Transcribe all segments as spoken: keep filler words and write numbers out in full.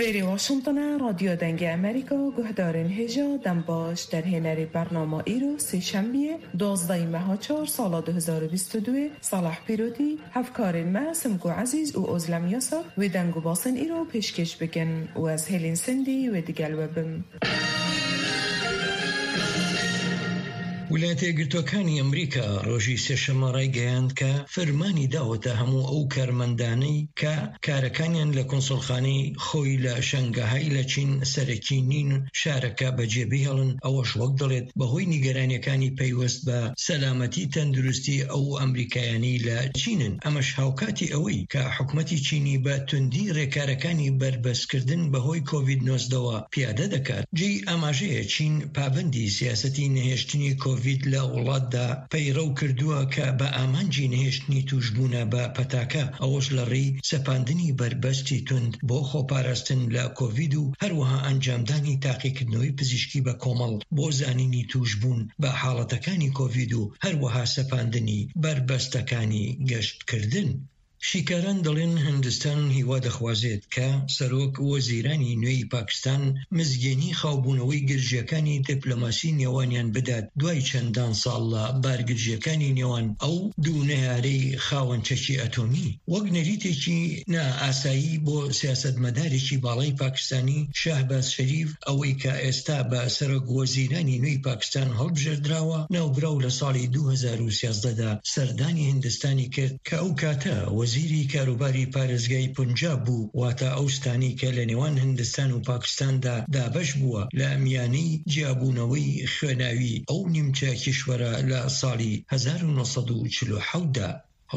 Êrê Washington e, Radyo Dengê Amerîka, guhdarên hêja, dem baş. Derhênerê bernama îro, Sêşembiyê, duwazdehê meha çar, sala du hezar û bîst û duyê, Salah Pîrotî, hevkarên me Simko Ezîz û Ozlem Yasak wê deng û basên îro pêşkêş bikin û ez Hêlîn Sindî wê digel we bim. ویلایەتە یەکگرتووەکانی ئەمریکا ڕۆژی سێشەممە ڕایگەیاند کە فەرمانی داوەتە هەموو ئەو کارمەندانەی کە کارەکانیان لە کۆنسوڵخانەی خۆی لە شەنگەهای لە چین سەرەکی نین، شارەکە بەجێ بهێڵن. ئەوەش وەک دەڵێت بەهۆی نیگەرانیەکانی پەیوەست بە سەلامەتی تەندروستی ئەو ئەمریکایانی لە چینن. ئەمەش هاوکاتی ئەوەی کە حکومەتی چینی بە توندی ڕێکارەکانی بەربەستکردن بەهۆی کۆڤید نۆزدەوە پیادە دەکات. جێی ئاماژەیە چین پابەندی سیاسەتی نەهێشتنی کۆڤید لە وڵاتدا پەیڕەو کردووە کە بە ئامانجی نەهێشتنی توشبوونە بە پەتاکە، ئەوەش لە ڕێی سەپاندنی بەربەستی تند بۆ خۆپاراستن لە کۆڤید و هەروەها ئەنجامدانی تاقیکردنەوەی پزیشکی بە کۆمەڵ بۆ زانینی توشبوون بە حاڵەتەکانی کۆڤید و هەروەها سەپاندنی بەربەستەکانی گەشتکردن. شیکاران دەڵێن هندستان هیوا دەخوازێت کە سەرۆک وەزیرانی نوێی پاکستان مزگێنی خاوبوونەوەی گرژیەکانی دیپلۆماسی نێوانیان بدات، دوای چەندان ساڵ لە بارگرژیەکانی نێوان ئەو دوو نەیارەی خاوەن چەکی ئەتۆمی. وەک نەریتێکی نائاسایی بۆ سیاسەتمەدارێکی باڵای پاکستانی، شاهباز شەریف، ئەوەی کە ئێستا بە سەرۆک وەزیرانی نوێی پاکستان هەڵبژێردراوە، ناوبراو لە ساڵی دوو هەزار و سیازدە دا سەردانی هندستانی کرد کە ئەو کاتە وەزیری کاروباری پارێزگای پونجاب بوو، واتە ئەو ستانی کە لە نێوان هندستان و پاکستاندا دابەش بووە لە میانەی جیابوونەوەی خوێناوی ئەو نیمچە کیشوەرە لە ساڵی هەزار و نۆ سەد و چل و حەوت دا.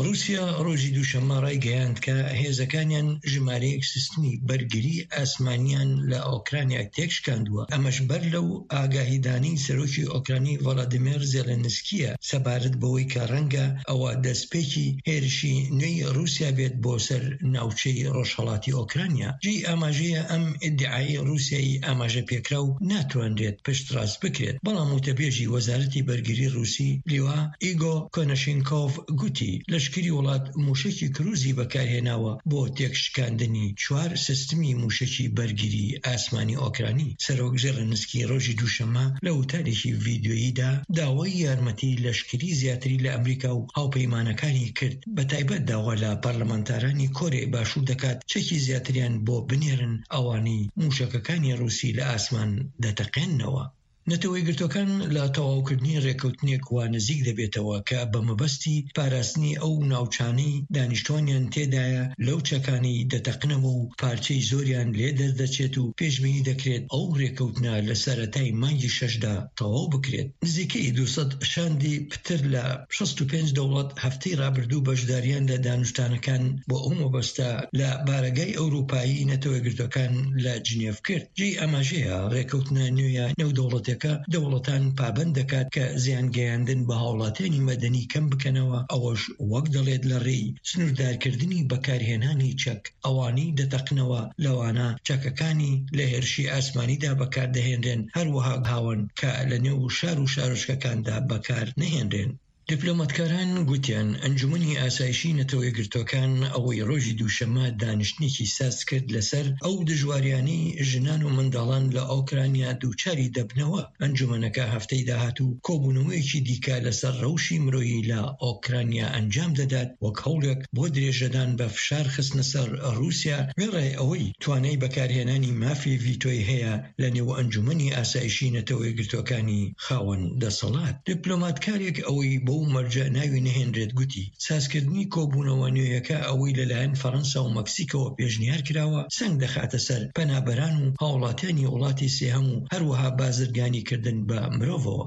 رووسیا ڕۆژی دووشەممە ڕایگەیاند کە هێزەکانیان ژمارەیەک سیستمی بەرگری ئاسمانیان لە ئۆکرانیا تێکشکاندووە. ئەمەش بەر لەو ئاگاهیدانی سەرۆکی ئۆکرانی ڤۆلۆدیمێر زێلێنسکیە سەبارەت بەوەی کە ڕەنگە ئەوە دەستپێکی هێرشی نوێی رووسیا بێت بۆ سەر ناوچەی ڕۆژهەڵاتی ئۆکرانیا. جێی ئاماژەیە ئەم ئیدعای رووسیایی ئاماژە پێکراو ناتوانرێت پشتڕاست بکرێت، بەڵام وتەبێژی وەزارەتی بەرگری رووسی لیوا ئیگۆ کۆنەشینکۆڤ گوتی لەشکری وڵات موشەکی کروزی بەکارهێناوە بۆ تێکشکاندنی چوار سیستمی موشەکی بەرگری ئاسمانی ئۆکرانی. سەرۆک زێلێنسکی ڕۆژی دووشەممە لە وتارێکی ڤیدیۆییدا داوای یارمەتی لەشکری زیاتری لە ئەمریکا و هاوپەیمانەکانی کرد، بە تایبەت داوا لە پەرلەمانتارانی کۆریای باشوور دەکات چەکی زیاتریان بۆ بنێرن، ئەوانەی موشەکەکانی رووسی لە ئاسمان دەتەقێننەوە. نەتەوە یەکگرتووەکان لە تەواوکردنی ڕێکەوتنێک وا نزیک دەبێتەوە کە بە مەبەستی پاراستنی ئەو ناوچانەی دانیشتوانیان تێدایە لەو چەکانەی دەتەقنەوە و پارچەی زۆریان لێ دەردەچێت و پێشبینی دەکرێت ئەو ڕێکەوتنە لە سەرەتای مانگی شەشدا تەواو بکرێت. نزیکەی دوو سەد شاندی پتر لە شەست و پێنج دەوڵەت هەفتەی ڕابردوو بەشداریان لە دانوستانەکان بۆ ئەو مەبەستە لە بارەگای ئەوروپایی نەتەوە یەکگرتووەکان لە جنێڤ کرد. جێی ئاماژەیە ڕێکەوتنە نوێیە نێودەوڵەتیەکە دەوڵەتان پابەند دەکات کە زیانگەیاندن بە هاوڵاتیانی مەدەنی کەم بکەنەوە، ئەوەش وەک دەڵێت لە ڕێی سنووردارکردنی بەکارهێنانی چەک ئەوانەی دەتەقنەوە، لەوانە چەکەکانی لە هێرشی ئاسمانیدا بەکاردەهێنرێن، هەروەها هاوەن کە لە نێو شار و شارۆچکەکاندا بەکار نەهێنرێن. دیپلۆماتکاران گوتیان ئەنجومەنی ئاسایشی نەتەوە یەکگرتووەکان ئەوەی ڕۆژی دووشەممە دانیشتنێکی ساز کرد لەسەر ئەو دژواریانەی ژنان و منداڵان لە ئۆکرانیا دووچاری دەبنەوە. ئەنجومەنەکە هەفتەی داهاتوو کۆبوونەوەیەکی دیکە لەسەر ڕەوشی مرۆیی لە ئۆکرانیا ئەنجام دەدات، وەک هەوڵێک بۆ درێژەدان بە فشار خستنە سەر رووسیا، وێڕای ئەوەی توانای بەکارهێنانی مافی ڤیتۆی هەیە لە نێو ئەنجومەنی ئاسایشی نەتەوە یەکگرتووەکانی خاوەن دەسەڵات. دیپلۆماتکارێک ئەوەی بەو مەرجە ناوی نەهێنرێت گوتی سازکردنی کۆبوونەوە نوێیەکە ئەوەی لەلایەن فەڕەنسا و مەکسیکەوە پێشنیار کراوە، سەنگ دەخاتە سەر پەنابەران و هاوڵاتیانی وڵاتی سێهەم و هەروەها بازرگانی کردن بە مرۆڤەوە.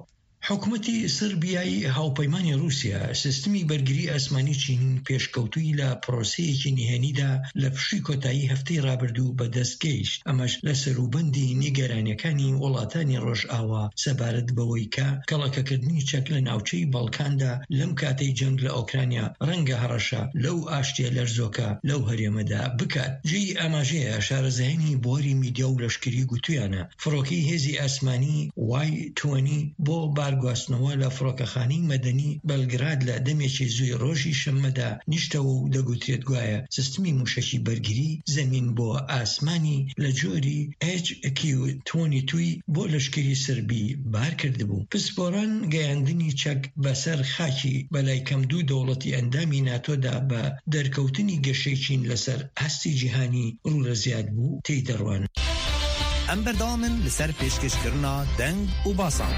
حکومەتی سربیای هاوپەیمانی رووسیا سیستمی بەرگری ئاسمانی چین پێشکەوتووی لە پرۆسەیەکی نهێنیدا لە پشووی کۆتایی هەفتەی ڕابردوو بەدەست گەیشت. ئەمەش لە سەروبەندی نیگەرانیەکانی وڵاتانی ڕۆژئاوا سەبارەت بەوەی کە کەڵەکەکردنی چەک لە ناوچەی باڵکاندا لەم کاتەی جەنگ لە ئۆکرانیا ڕەنگە هەڕەشە لەو ئاشتیە لەرزۆکە لەو هەرێمەدا بکات. جێی ئاماژەیە شارەزایانی بواری میدیا و لەشکری گوتویانە فڕۆکەی هێزی ئاسمانی وای تۆنی بۆ بار گواستنەوە لە فڕۆکەخانەی مەدەنی بەلگراد لە دەمێکی زووی ڕۆژی شەممەدا نیشتەوە و دەگوترێت گوایە سیستمی موشەکی بەرگری زەمین بۆ ئاسمانی لە جۆری ئێچ کیو توانی توی بۆ لەشکری سربی بار کردبوو. پسپۆران گەیاندنی چەک بەسەر خاکی بەلای کەم دوو دەوڵەتی ئەندامی ناتۆدا بە دەرکەوتنی گەشەی چین لەسەر ئاستی جیهانی ڕوو لە زیاد بوو تێی دەڕوان. ئەم بەردەوامن لەسەر پێشکەشکردنا دەنگ و باسان.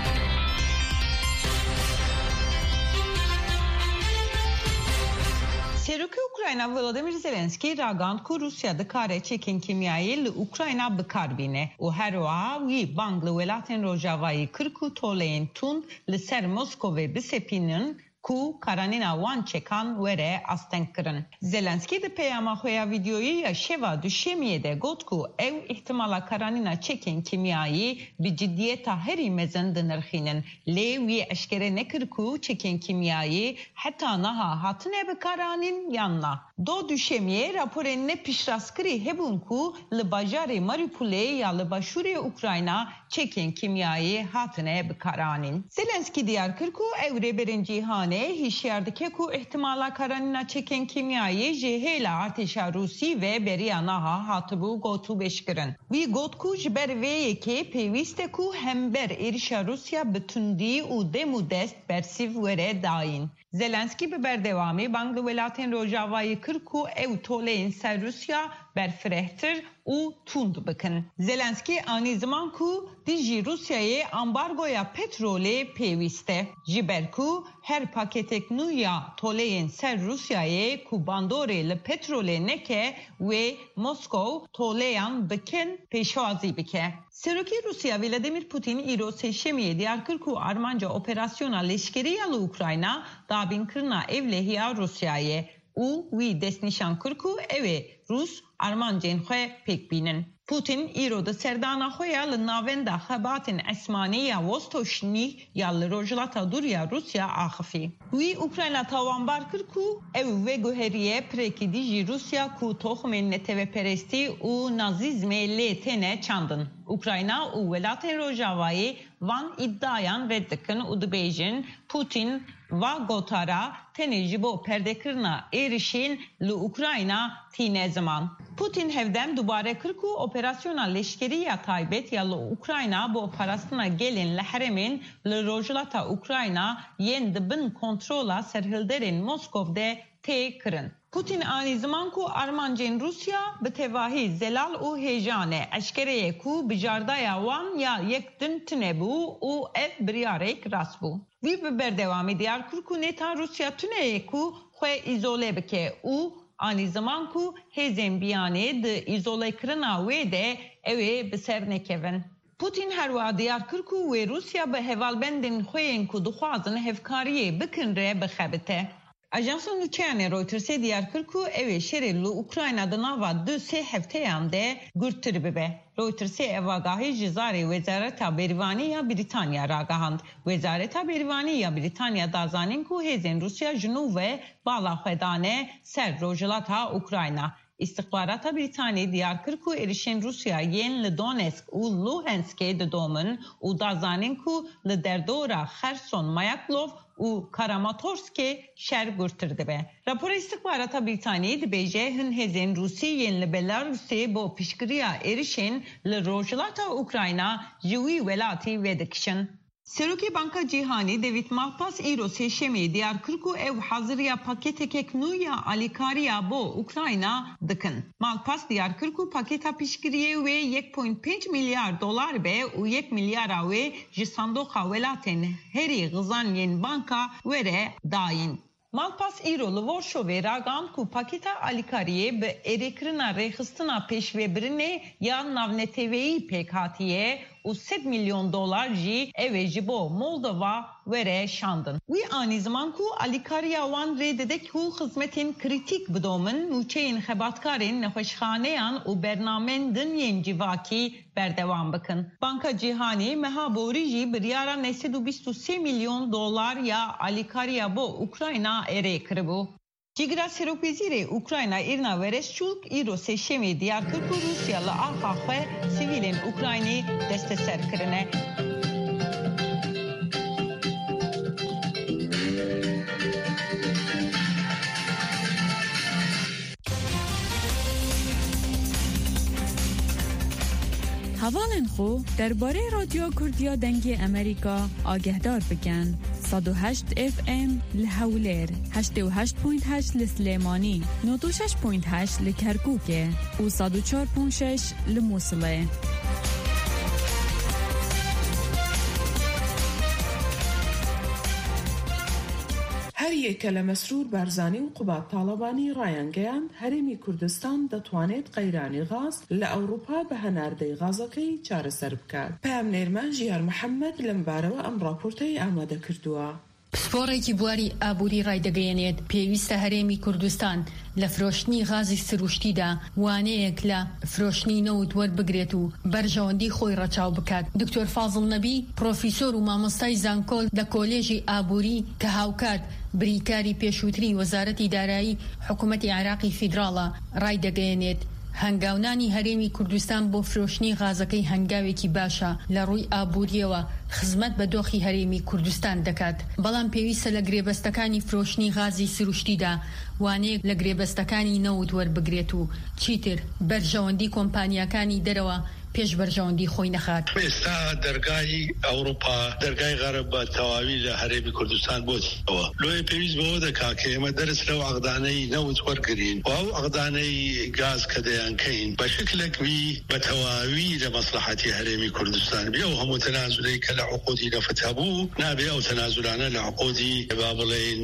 Serokê Ukrayna Volodymyr Zelenskî ragand ku Rûsya dikare çekên kîmyayî li Ukrayna bi kar bîne û her wiha wî bang li welatên Rojavayî kir ku toleyên tund li ser Moskovê bisepînin ku karanîna wan çekan were astengkirin. Zelenskî di peyama xwe ya vîdyoyî ya şeva Duşemiyê de got ku ew îhtimala karanîna çekên kîmyayî bi cidiyeta herî mezin dinirxînin, lê wî eşkere nekir ku çekên kîmyayî heta niha hatine bikaranîn yan na. Do Duşemiyê raporên ne piştrastkirî hebûn ku li bajarê Mariupolê ya li başûrê Ukrayna çekên kîmyayê hatine bikaranîn. Zelenskî diyar kir ku ew rêberên cîhanê hişyar dike ku îhtimala karanîna çekên kîmyayê ji hêla artêşa Rûsî ve beriya niha hatibû gotûbêjkirin. Wî got ku ji ber vê yekê pêwîst e ku hember êrişa Rûsya bi tundî û dem û dest bersîv were dayîn. Zelenskî bi berdewamî bang li welatên Rojavayê kir ku ew toleyên ser Rûsya berfirehtir û tund bikin. Zelenskî anî ziman ku dijî Rûsyayê ambargoya petrolê pêwîst e, ji ber ku her paketek nû ya toleyên ser Rûsyayê ku bandorê li petrolê neke wê Moskow toleyan bikin pêşwazî bike. Serokê Rûsya Vladimir Putin îro sêşemiyê diyar kir ku armanca operasyona leşkerî ya li Ukrayna dabînkirina ewlehiya Rûsyayê û wî destnîşan kir ku ew ê Rûs armancên xwe pêk bînin. Putin îro di serdana xwe ya li navenda xebatên esmanî ya Vostochny ya li rojhilata dûr ya Rûsya axifî. Wî Ukrayna tawanbar kir ku ew veguheriye pirekî dijî Rûsya ku toxumên neteweperestî û nazîzmê lê têne çandin. Ukrayna û welatên Rojavayê van îdiayan red dikin û dibêjin, Putin va gotara tenê ji bo perdekirina êrişên li Ukrayna tîne ziman. Putin hevdem dubare kir ku operasyona leşkerî ya taybet ya li Ukrayna bo parastina gelên li herêmên li rojhilata Ukrayna yên di bin kontrola serhilderên Moskov de tê kirin. Putin anî ziman ku armancên Rûsya bi tevahî zelal û hêja ne. Eşkere ye ku bijardaya wan ya yek din tune bû û ev biryarek rast bû. Wî bi berdewamî diyar kir ku nêta Rûsya tune ye ku xwe îzole bike û anî ziman ku hêzên biyanê di îzolekirina wê de ew ê bi ser nekevin. Putin her wiha diyar kir ku wê Rûsya bi hevalbendên xwe yên ku dixwazin hevkariyê bikin re bixebite. Ajansa nûçeyanê Reutersê diyar kir ku ew ê şerê li Ukrayna di nava du sê hefteyan de gurttir bibe. Reutersê ev agahî ji zarê Wezareta Bêrîvanî ya Brîtanya ragihand. Wezareta Bêrîvanî ya Brîtanya da zanîn ku hêzên Rûsya ji nû ve bala xwe dane ser rojhilata Ukrayna. Îstixbarata Brîtanî diyar kir ku êrişên Rûsya yên li Donetsk û Luhanskê didomin û da zanîn ku li derdora Xerson, Mayaklov û Karamatorskê şer gurtir dibe. Rapora îstixbarata Brîtanî dibêje, hin hêzên Rûsî yên li Belarusê bo piştgiriya êrişên li rojhilata Ukrayna ji wî welatî vedikişin. Serokê Banka Cîhanî David Malpass îro sêşemê diyar kir ku ew haziriya paketekek nû ya alîkariya bo Ukrayna dikin. Malpass diyar kir ku paketa piştgiriyê wê yek point pênc milyar dolar be û yek milyara wê ji sandoqa welatên herî xizan yên banka were dayîn. Malpass îro li Warşovê ragihand ku pakêta alîkariyê bi erêkirina rêxistina pêşvebirinê ya navneteweyî pêk hatiye û sed milyon dolar jî ew ê ji bo Moldova were şandin. Wî anî ziman ku alîkariya wan rê dide ku xizmetên krîtîk bidomin, mûçeyên xebatkarên nexweşxaneyan û bernamên din yên civakî berdewam bikin. Banka Cîhanî meha borî jî biryara neh sed û bîst û sê milyon dolar ya alîkariya bo Ukrayna erê kiribû. Cîgira Serokwezîrê Ukrayna Îrina Vereshçuk îro sêşemê diyar kir ku Rûsya li axa xwe sivîlên Ukraynî desteser kirine. Hevalên xwe derbarê Radyoya Kurdiya Dengê Amerîka agehdar bikin. Sed û heşt F M li Hewlêr, heştê û heşt point heşt li Silêmanî, nod û şeş point heşt li Kerkûkê û sed û çar point şeş li Mûsilê. Her yeke li Mesrûr Barzanî û Qubat Talebanî rayangeyand, Herêmî Kurdistan detwanêt qeyranî gaz li Ewropa bi henardeyî gazekeyî çareser bikat. Peyamnêr me Jiyar Mihemed li mibarewe em raporteyî amade kirduwa. پسپۆڕێکی بواری ئابووری ڕایدەگەیەنێت، پێویستە هەرێمی کوردستان لە فرۆشتنی غازی سروشتیدا وانەیەک لە فرۆشتنی نەوت وەربگرێت و بەرژەوەندی خۆی ڕەچاو بکات. دکتۆر فازڵ نەبی، پرۆفیسۆر و مامۆستای زانکۆ لە کۆلێژی ئابووری کە هاوکات بریکاری پێشووتری وەزارەتی دارایی حکوومەتی عێراقی فیدراڵە، ڕایدەگەیەنێت، هەنگاونانی هەرێمی کوردستان بۆ فرۆشتنی غازەکەی هەنگاوێکی باشە لە ڕووی ئابووریەوە، خزمەت بە دۆخی هەرێمی کوردستان دەکات، بەڵام پێویستە لە گرێبەستەکانی فرۆشتنی غازی سروشتیدا وانەیەک لە گرێبەستەکانی نەوت وەربگرێت و چیتر بەرژەوەندی کۆمپانیاکانی دەرەوە پێش بەرژەوەندی خۆی نەخات. ئێستا دەرگای ئەوروپا، دەرگای غەرب بە تەواوی لە هەرێمی کوردستان بۆتەوە. لۆیە پێویست بەوە دەکا کە ئێمە دەرس لەو عەقدانەی نەوت وەرگرین و ئەو عەقدانەی گاز کە دەیانکەین بە شکلێک بی بە تەواوی لە مەسلحەتی هەرێمی کوردستان بێ و هەموو تەنازولەی کە لە عقودی نەفت هەبوو نابێ ئەو تەنازولانە لە عقودی، با بڵێن،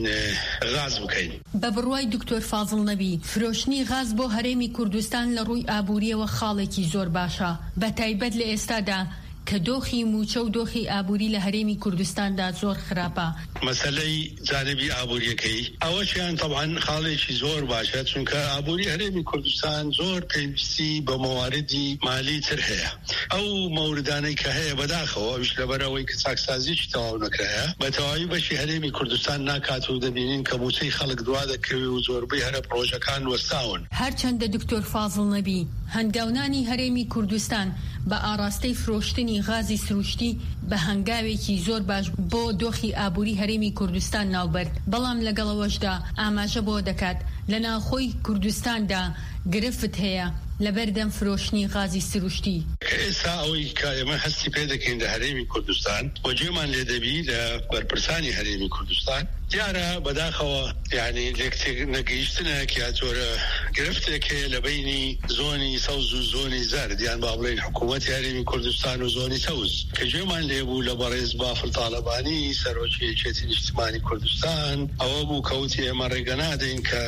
غاز بکەین. بە بڕوای دکتۆر فازڵ نەبی، فرۆشتنی غاز بۆ هەرێمی کوردستان لە ڕووی ئابووریەوە خاڵێکی زۆر باشە، بە تایبەت لە ئێستادا کە دۆخی مووچە و دۆخی ئابووری لە هەرێمی کوردستاندا زۆر خراپە. مەسەلەی جانبی ئابووریەکەی ئەوەشیان تەبعەن خاڵێکی زۆر باشە، چونکە ئابووری هەرێمی کوردستان زۆر پێویستی بە مەواردی مالی تر هەیە. ئەو مەوردانەی کە هەیە بەداخەوە، ئەویش لەبەرەوەی کە چاکسازیی تەواو نەکرایە، بە تەواوی بەشی هەرێمی کوردستان ناکات و دەبینین کە مووچەی خەڵک دوا دەکەوێ و زۆربەی هەرە پڕۆژەکان وەستاون. هەرچەندە دکتۆر فازڵ نەبی، هەنگاونانی هەرێمی کوردستان بە ئاراستەی فرۆشتنی غازی سروشتی بە هەنگاوێکی زۆر باش بۆ دۆخی ئابووری هەرێمی کوردستان ناوبرد، بەڵام لەگەڵەوەشدا ئاماژە بۆ دەکات لە ناوخۆی کوردستاندا گرفت هەیە لەبەردەم فرۆشتنی غازی سروشتی. کە ئێستا ئەوەی کە ئێمە هەستی پێ دەکەین لە هەرێمی کوردستان و جێمان لێ دەبی لە بەرپرسانی هەرێمی کوردستان، دیارە بەداخەوە، یعنی، لێک تێک نەگەیشتنێک یا جۆرە گرفتێک هەیە لە بینی زۆنی سەوز و زۆنی زەرد، یان با بڵێن حکوومەتی هەرێمی کوردستان و زۆنی سەوز، کە جێمان لێبوو لە بەڕێز بافڵ تاڵەبانی، سەرۆکی یەکێتی نیشتیمانی کوردستان، ئەوە بوو کە وتی ئێمە ڕێگە نادەین کە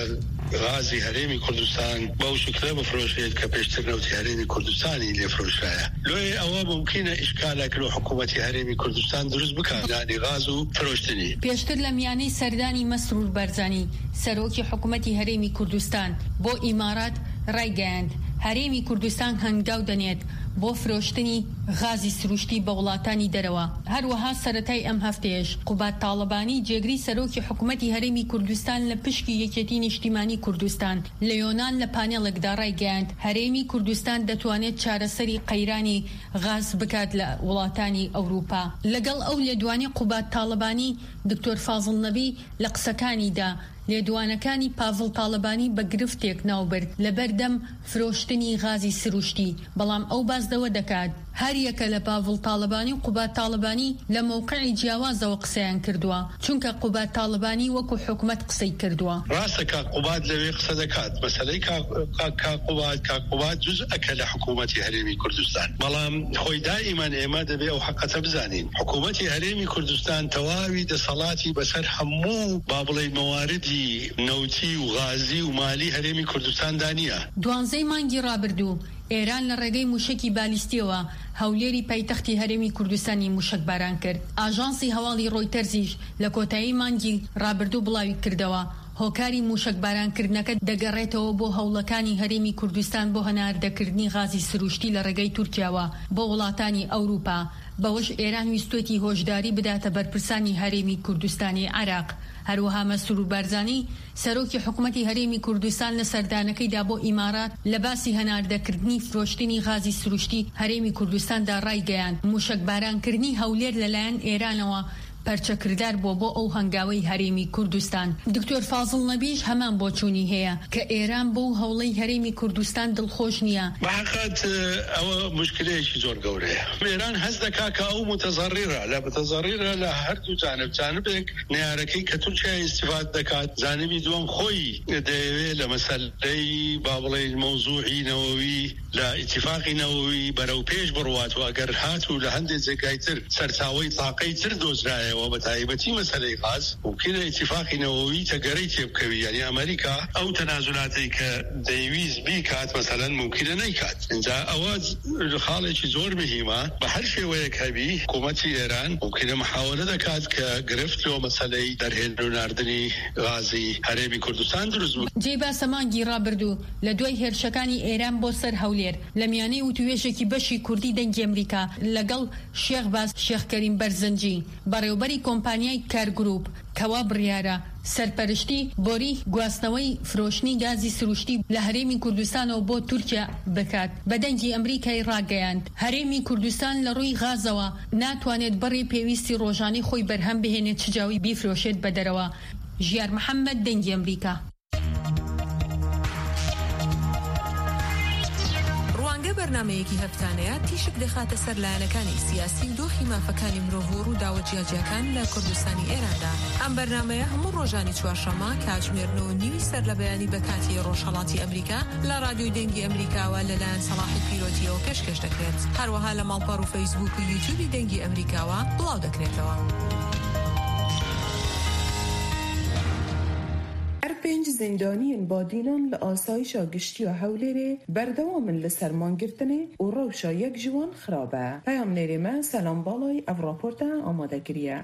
غازی هەرێمی کوردستان بەو شکلە بفرۆشێت کە پێشتر نەوتی هەرێمی کوردستانی لێفرۆشایە. لۆیە ئەوە ممکنە ئیشکالێک لۆ حکوومەتی هەرێمی کوردستان دروست بکات، نانی غاز و فرۆشتنی. پێشتر لە میانەی سەردانی مەسرور بەرزانی، سەرۆکی حکوومەتی هەرێمی کوردستان بۆ ئیمارات ڕایگەیاند، هەرێمی کوردستان هەنگاو دەنێت بۆ فرۆشتنی غازی سروشتی بە وڵاتانی دەرەوە. هەروەها سەرەتای ئەم هەفتەیەش قوباد تاڵەبانی، جێگری سەرۆکی حکوومەتی هەرێمی کوردستان لە پشکی یەکێتی نیشتیمانی کوردستان لە یۆنان، لە پانێڵێکدا ڕایگەیاند، هەرێمی کوردستان دەتوانێت چارەسەری قەیرانی غاز بکات لە وڵاتانی ئەوروپا. لەگەڵ ئەو لێدوانی قوباد تاڵەبانی، دکتۆر فازڵ نەبی لە قسەکانیدا لێدوانەکانی پاڤڵ تاڵەبانی بە گرفتێک ناوبرد لەبەردەم فرۆشتنی غازی سروشتی، بەڵام ئەو باس لەوە دەکات، هەر یەکە لە پاڤڵ تاڵەبانی و قوباد تاڵەبانی لە مەوقعی جیاوازەوە قسەیان کردووە، چونکە قوباد تاڵەبانی وەکو حکومەت قسەی کردووە. ڕاستە کاک قوباد لەوێ قسە دەکات، مەسەلەی کاک، کاک، کاک قوباد، کاک قوباد جزئەکە لە حکوومەتی هەرێمی کوردستان، بەڵام خۆی دائیمەن ئێمە دەبێ ئەو حەقەتە بزانین. حکوومەتی هەرێمی کوردستان تەواوی دەسەڵاتی بەسەر هەموو، با بڵێ، مەواردی نەوتی و غازی و مالی هەرێمی کوردستاندا نییە. دوانزەی مانگی ڕابردوو، ئێران لە ڕێگەی موشەکی بالیستیەوە هەولێری پایتەختی هەرێمی کوردستانی موشەک باران کرد. ئاژانسی هەواڵی ڕۆیتەرزیش لە کۆتایی مانگی ڕابردوو بڵاوی کردەوە، هۆکاری موشەک بارانکردنەکە دەگەڕێتەوە بۆ هەوڵەکانی هەرێمی کوردستان بۆ هەناردەکردنی غازی سروشتی لە ڕێگەی تورکیاوە بۆ وڵاتانی ئەوروپا. بەوەش ئێران ویستوێتی هۆشداری بداتە بەرپرسانی هەرێمی کوردستانی عێراق. هەروەها مەسرور بارزانی، سەرۆکی حکوومەتی هەرێمی کوردستان، لە سەردانەکەیدا بۆ ئیمارات لە باسی هەناردەکردنی فرۆشتنی غازی سروشتی هەرێمی کوردستاندا ڕایگەیاند، موشەک بارانکردنی هەولێر لەلایەن ئێرانەوە پەرچەکردار بووە بۆ ئەو هەنگاوەی هەرێمی کوردستان. دکتۆر فازڵ نەبیش هەمان بۆچوونی هەیە کە ئێران بەو هەوڵەی هەرێمی کوردستان دڵخۆش نییە. بە حەقیقەت، ئەوە مشکلەیەکی زۆر گەورەیە. ئێران هەست دەکا کە ئەو متەزەڕیرە، لە متەزەڕیرە لە هەردوو جانب. جانبێک نەیارەکەی کە تورکیا ئیستیفاد دەکات، جانبی دووەم خۆی دەیەوێت لە مەسەلەی، با بڵێین، مەوزوعی نەوەوی، لە ئیتیفاقی نەوەوی بەرەو پێش بڕوات و ئەگەر هات و لە هەندێک جێگای تر سەرچاوەی تاقەی تر دۆزرایەوە، بە تایبەتی مەسەلەی غاز، ممکنە ئیتیفاقی نەوەوی تەگەرەی تێبکەوی. یعنی ئەمریکا ئەو تەنازولاتەی کە دەیویست بیکات، مەسەلەن، ممکنە نەیکات. اینجا ئەوە خاڵێکی زۆر مهمە. بە هەر شێوەیەک هەبی، حکوومەتی ئێران ممکنە محاولە دەکات کە گرفت لۆ مەسەلەی دەرهێن و ناردنی غازی هەرێمی کوردستان دروست بکات. جێی باسە، مانگی ڕابردوو لە دوای هێرشەکانی ئێران بۆ سەر هەولێر، لە میانەی وتووێژێکی بەشی کوردی دەنگی ئەمریکا لەگەڵ شێخ باز شێخ کەریم بەرزنجی، بەڕێوەبەری کۆمپانیای کار گروپ، کەوا بڕیارە سەرپەرشتی بۆری گواستنەوەی فرۆشتنی گازی سروشتی لە هەرێمی کوردستانەوە بۆ تورکیا بکات، بە دەنگی ئەمریکای ڕاگەیاند، هەرێمی کوردستان لە ڕووی غازەوە ناتوانێت بەڕێ پێویستی ڕۆژانەی خۆی بەرهەم بهێنێت، چ جاوی بیفرۆشێت بە دەرەوە. ژیار محەممەد، دەنگی ئەمریکا. ڕوانگە بەرنمەیەکی هەفتانەیە، تیشک دەخاتە سەر لایەنەکانی سیاسی و دۆخی مافەکانی مرۆڤ و ڕووداوە جیاجیاکان لە کوردستانی ئێراندا. ئەم بەرنمەیە هەموو ڕۆژانی چوارشەممە کاتژمێر نۆ و نیوی سەر لە بەیانی بە کاتی ڕۆژهەڵاتی ئەمریکا لە ڕادیۆی دەنگی ئەمریکاوە لەلایەن سەڵاحی پیرۆتیەوە پێشکەش دەکرێت. هەروەها لە ماڵپەڕ و فەیسبوک و یوتیوبی دەنگی ئەمریکاوە بڵاو دەکرێتەوە. Her pênc zîndaniyên Badînan li asayişa giştî ya Hewlêrê berdewam in li ser mangirtinê û rewşa yek ji wan xirab e. Peyamnêrê me Selam Balay ev raporte amade kiriye.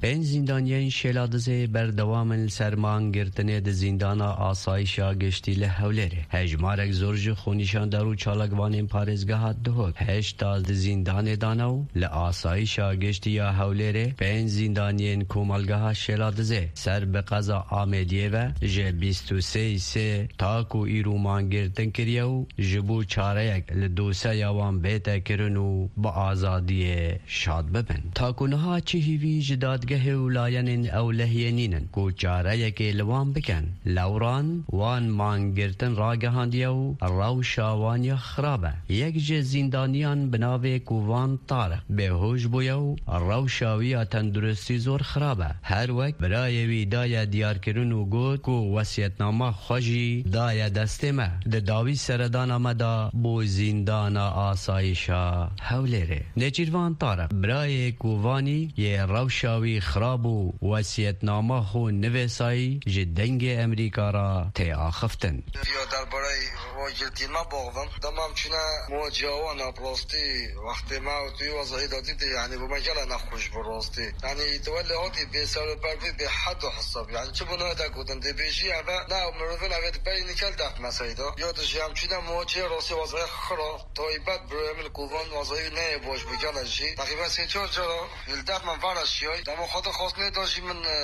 Pênc zîndaniyên Şêladizê berdewam in li ser mangirtinê di zîndana asayişa giştî li Hewlêrê. Hejmarek zor ji xwenîşandar û çalakvanên parêzgeha Duhok heşta di zîndanê dane û li asayişa giştî ya Hewlêrê pênc zîndaniyên komelgeha Şêladizê ser bi qeza Amêdiyê ve ji bîst û sê sê ta ku îro mangirtin kiriye û ji bo çareyek li doseya wan bête kirin û bi azadiyê şad bibin. Ta ku niha çi hîvî ji dadgehê û layenên ewlehiyê nînin ku çareyekê li wan bikin. Lewran wan mangirtin ragihandiye û rewşa wan ya xirab e. Yek ji zîndaniyan bi navê Kovan Tariq bêhoş bûye û rewşa wî ya tenduristî zor xirab e. Her wek birayê wî daye diyarkirin û got ku wesiyetnama xwe jî daye destê me. Di dawî seredana me de bû zîndana asayişa Hewlêrê. Nêçîrvan Tariq, birayê Kovanî yê rewşa wî xirab û wesiyetnama xwe nivêsayî ji Dengê Emerîka re tê axiftin. Ya derbarê ragirtî me baxivim. Dema em çûne muwaciya wan e, bi rastî wextê me û tu wî wezayî de dîtî, yanî bo me gele nexweş bû rastî. Yanî tu welê hatî bê ser û ber bû, bê hed û hesab. Yanî çi bû nayê te gotin, dê bêjî eve ne ew mirovin eve di berî nikel def meseyda. Ya tu jî em çûne muwaciyê rastî wezayî xira. Taybet birayê min li Kovan wazayî neyê baş bû gele jî. Teqrîben sê çar cara li def min vara şiyay. Dema xwe dixwastine da jî min, e,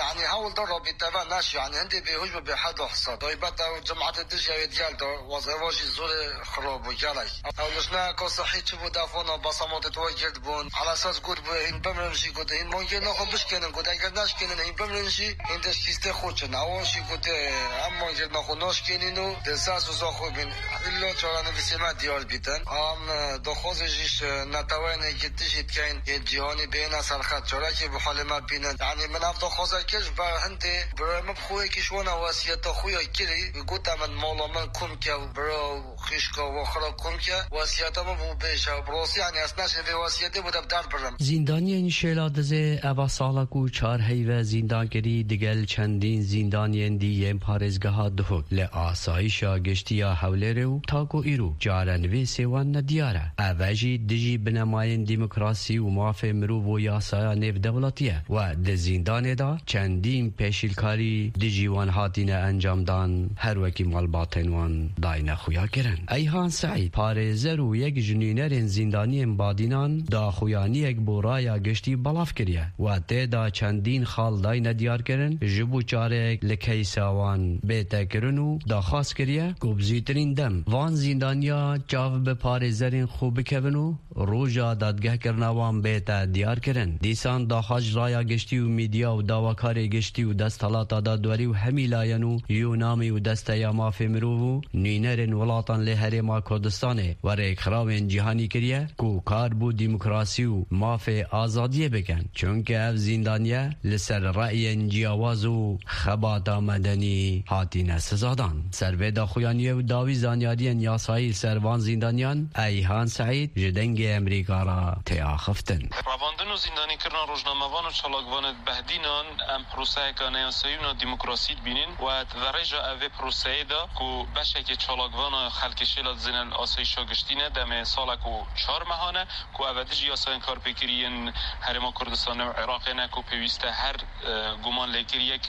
yanî hewl da rabîte ve neşi. Yanî hindê bêhoş bû bê hed û hesab. Taybet ew cemaetê dijî ew ê digel da wazayî va jî zorê xirab bû gelek. Ew lijneyeka sihî çi bû def wana besamatê tu we girt bûn. Elesas got bû hîn bimrin jî got hîn mangê naxwe bişkênin got eger neşkênin hîn bimrin jî hîn dişkîstê xwe çin. Ewan jî got, e, em mangê naxwe naşkênin û di ser soza xwe bin. Îlla çarenivîsê me diyar bîtin. Em, e, daxwazê jî ji neteweyên yekîtî jî dikeyin, yê cîhanî bêhne serxet, çarekê bi halê me bînin. Yanî min ev daxwaze kir, ji ber hindê birayê min bi xwe yekî ji wana wesiyeta xwe ya kirî, gote min mala min kom ke, bira û xîşka we xira kom ke, wesiyeta min bû bêje. Bi rastî, yanî ez neşê vê wesiyetê bû de bi der birim. Zîndaniyên Şêla Dizê eva sala ku çar heyve zîndan kirî, digel çendîn zîndaniyên dî yên parêzgeha Duhok li asayişa giştî ya Hewlêrê û ta ku îro çarenivîsê wan nediyar e. Ev e jî dijî binemayên demokrasî û mafê mirov û yasaya nêvdewletî ye. We di zîndanê de çendîn pêşîlkarî dijî wan hatine encamdan, her wekî malbatên wan dayne xuya kirin. Eyhan Seîd, parêzer û yek ji nûnerên zîndaniyên Badînan, daxuyaniyek bo raya giştî belav kiriye. We tê de çendîn xal dayne diyarkirin, ji bo çareyek li keysa wan bête kirin û daxwaz kiriye ku bi zûtirîn dem van zîndaniya çav bi parêzerên xwe bikevin û roja dadgehkirina wan bête diyarkirin. Dîsan daxwaz Raya giştî û medya û dawakarê giştî û desthilata dadwerî û hemî layen û Yûnamî û Desteya Mafê Mirov û nûnerên welatan lê Herêma Kurdistanê we rêkxirawên cîhanî kiriye ku kar bo demokrasî û mafê azadiyê bikin. Çunke ev zîndaniye li ser reyên ciyawaz û xebata medenî hatine sizadan. Ser vê daxuyaniyê û dawî zanyariyên yasayî li ser van zîndaniyan Eyhan Seîd ji Dengê Emerîka re tê axiftin. Revandin û zîndanîkirina rojnamevan û çalakvanê behdînan em proseyeke neyasayî û nademokrasî dibînin û di rêja evê proseyê de ku beşekê çalakvana xelkê şêla dizîne li asayîşa giştî ne, demê salek û çar mehan e ku ev e dijî yasayên karpêkirî yên Herêma Kurdistanê û Iraqê ne ku pêwîst e her, e, guman lêkiriyek,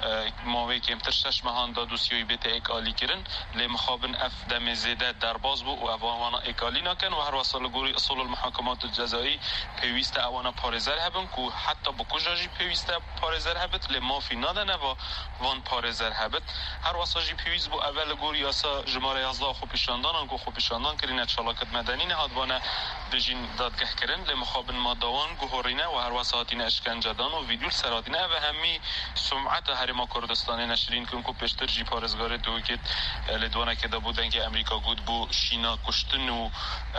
e, mawê kêmtir şeş mehan de dosyayî bête êkalîkirin. Lê mixabin ev demê zêde derbas bû û ev wana êkalî nakin û her wesa li gorî usulul muhakemat cezayî pêwîst e ewana parêzer hebin ku heta bi kuja jî pêwîst e parêzer hebit, lê mafî nadene va van parêzer hebit. Her wesa jî pêwîst bû ev e li gor yasa jimare yazdeh xwepêşandanan ku xwepêşandan kirîne çalakit medenî nehatvane bijîn dadgehkirin, lê mixabin madde wan guhorîne û her wesa hatîne işkencedan û vîdyo li ser hatîne. Ev e hemî sumeta Herêma Kurdistanê neşrîn kirin ku pêştir jî parêzgarê Dewikêt, e, lêdwanekê de bo Dengê Emerîka got, bo şîna kuştin û,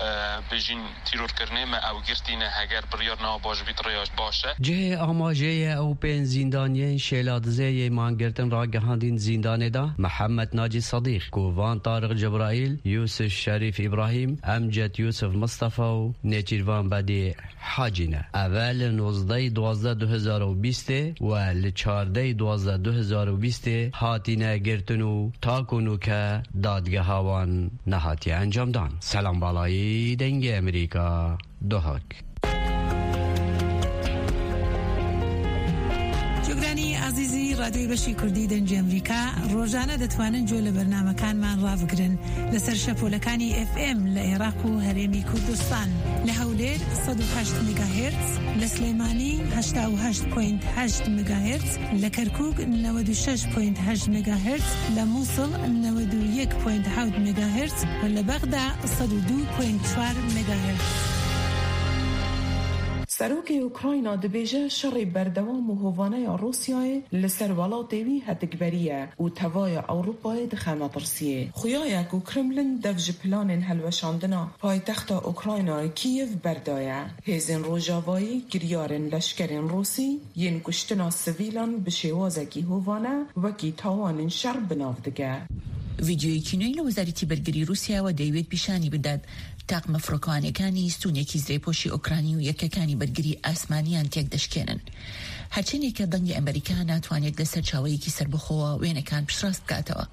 e, bêjîn tîrorkirinê me ew girtîne, heger biryar newa baş bît, rêya baş e. Cihê amajê ye ew pênc zîndaniyên şêladizê yê mangirtin ragihandîn zîndanê de Mihemed Nacî Sedîq, Kovan Tariq Cebraîl, Yusuf Şerîf Îbrahîm, Emcet Yusuf Mistefa û Nêçîrvan Bedî Hacî ne. Eve li nozdehê duwazdeh du hezar û bîstê we li çardehê duwazdeh du hezar û bîstê hatine girtin û ta ku nûke dadgeha wan nehatiye encamdan. Selam Balayî, Dengê Emerîka, Duhok. جۆگرانی ئازیزی ڕادیۆی بەشی کوردی دەنگی ئەمریکا، ڕۆژانە دەتوانن جۆ لە بەرنامەکانمان ڕابگرن لەسەر شەپۆلەکانی ئێف ئێم لە عێراق و هەرێمی کوردستان، لە هەولێر سەد و هەشت مێگاهێرتز، لە سلێمانی هەشتا و هەشت پۆینت هەشت مێگاهێرتز، لە کەرکووک نەوەد و شەش پۆینت هەشت مێگاهێرتز، لە مووسڵ نەوەد و یەک پۆینت حەوت مێگاهێرتز و لە بەغدا سەد و دوو پۆینت چوار مێگاهێرتز. سەرۆکی ئوکراینا dibêje şerê berdewam û hovaneya Rûsyayê li ser welatê wî hetikberî ye û tevaya Ewropayê dixe metirsiyê. Xuya ye ku Kremlin dev ji planên helweşandina paytexta Ukraynayê Kîyev berdaye. Hêzên Rojavayî kiryarên leşkerên Rûsî yên kuştina sivîlan bi şêwazekî hovane wekî tawanên şer bi nav dike. ڤیدیۆیەکی نوێی لە وەزارەتی بەرگری رووسیاوە دەیەوێت پیشانی بدات تاقمە فڕۆکەوانەکانی ستونێکی زرێپۆشی ئۆکرانی و یەکەکانی بەرگری ئاسمانیان تێک دەشکێنن. هەرچەندێکە دەنگی ئەمریکا ناتوانێت لە سەرچاوەیەکی سەربەخۆوە وێنەکان پشتڕاست بکاتەوە.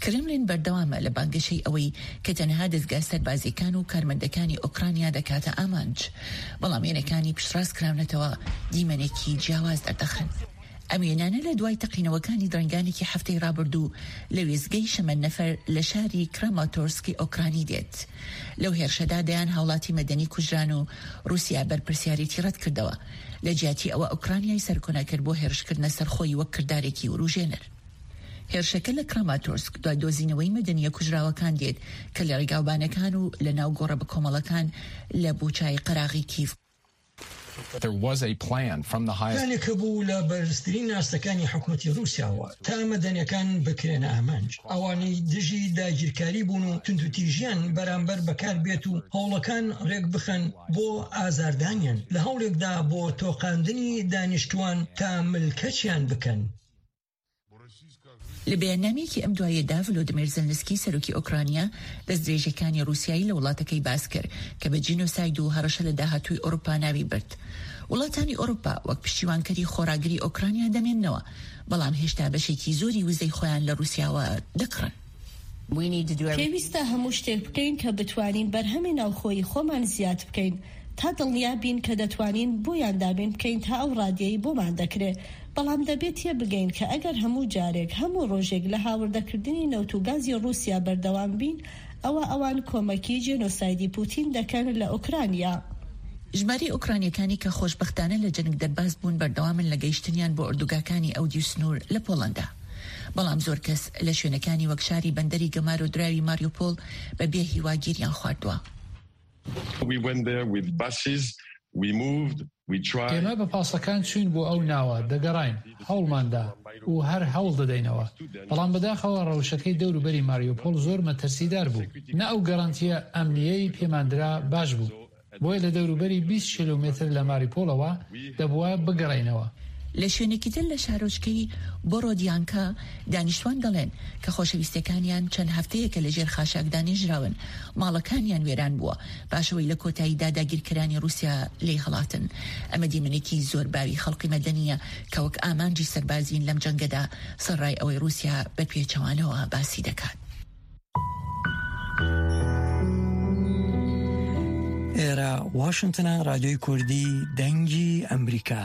کرملین بەردەوامە لە بانگەشەی ئەوەی کە تەنها دەستگا سەربازیەکان و کارمەندەکانی ئۆکرانیا دەکاتە ئامانج، بەڵام وێنەکانی پشتڕاست کراونەتەوە دیمەنێکی جیاواز دەردەخەن. ئەم وێنانە لە دوای تەقینەوەکانی درەنگانێکی هەفتەی ڕابردوو لە وێستگەی شەمەندەفەر لە شاری کراماتۆرسکی ئۆکرانی دێت. لەو هێرشەدا دەیان هاوڵاتی مەدەنی کوژران و رووسیا بەرپرسیارێتی ڕەت کردەوە. لە جیاتی ئەوە، ئۆکرانیای سەرکۆنەکرد بۆ هێرشکردنە سەرخۆی وەک کردارێکی وروژێنەر. هێرشەکە لە کراماتۆرسک دوای دۆزینەوەی مەدەنیە کوژراوەکان دێت کە لە ڕێگاوبانەکان و لە ناو گۆڕە بە کۆمەڵەکان لە بوچای قەراغی کیف. There was a plan from the highest. پلانێک هەبوو لە بەرزترین ئاستەکانی حکومەتی رووسیاوە تا مەدەنیەکان بکرێنە ئامانج. ئەوانەی دژی داگیرکاری بوون و توندوتیژیان بەرامبەر بەکار بێت و هەوڵەکان ڕێک بخەن بۆ ئازاردانیان لە هەوڵێکدا بۆ تۆقاندنی دانیشتوان تا ملکەچیان بکەن. لە بەیاننامەیەکی ئەم دوایەدا، ڤلۆدیمیر زێلنسکی، سەرۆکی ئۆکرانیا، دەستدرێژیەکانی رووسیایی لە وڵاتەکەی باس کرد کە بە جینۆساید و هەڕەشە لە داهاتووی ئەوروپا ناوی برد. وڵاتانی ئەوروپا وەک پشتیوانکەری خۆراگری ئۆکرانیا دەمێننەوە، بەڵام هێشتا بەشێکی زۆری وزەی خۆیان لە رووسیاوە دەکڕن. We need to do everything. پێویستە هەموو شتێک بکەین کە بتوانین بەرهەمی ناوخۆیی خۆمان زیاد بکەین، تا دڵنیا بین کە دەتوانین بۆیان دابین بکەین تا ئەو ڕادیەی بۆمان دەکرێ. بەڵام دەبێت تێبگەین کە ئەگەر هەموو جارێک، هەموو ڕۆژێک لە هاوردەکردنی نەوت و گازی رووسیا بەردەوام بین، ئەوە ئەوان کۆمەکی جێنۆسایدی پوتین دەکەن لە ئۆکرانیا. ژمارەی ئۆکرانیەکانی کە خۆشبەختانە لە جەنگ دەرباز بوون بەردەوامن لە گەیشتنیان بۆ ئردوگاکانی ئەودیو سنوور لە پۆڵەندا. بەڵام زۆر کەس لە شوێنەکانی وەک شاری بەندەری گەمار و دراوی ماریوپۆڵ بە بێ هیواگیریان خواردووە. We went there with buses. We moved, we tried. ئێمە بە پاسەکان چوین بۆ ئەو ناوە، دەگەڕاین، هەوڵماندا و هەر هەوڵ دەدەینەوە. بەڵام بەداخەوە ڕەوشەکەی دەوروبەری ماریوپۆل زۆر مەترسیدار بوو. نە ئەو گەرانتیە ئەمنیەی پێماندرا باش بوو. بۆیە لە دەوروبەری بیست کیلومتر لە ماریوپۆلەوە دەبووە بگەڕینەوە. لە شوێنێکی تر لە شارۆچکەی بۆرۆدیانکە، دانیشتوان دەڵێن کە خۆشەویستەکانیان چەند هەفتەیەکە لە ژێر خاشاکدا نێژراون، ماڵەکانیان وێران بووە، پاشەوەی لە کۆتاییدا داگیرکەرانی رووسیا لێی هەڵاتن. ئەمە دیمەنێکی زۆر باوی خەڵقی مەدەنیە کە وەک ئامانجی سەربازین لەم جەنگەدا، سەرڕای ئەوەی رووسیا بە پێچەوانەوە باسی دەکات. ئێرە واشنگتنە، رادیۆی کوردی دەنگی ئەمریکا.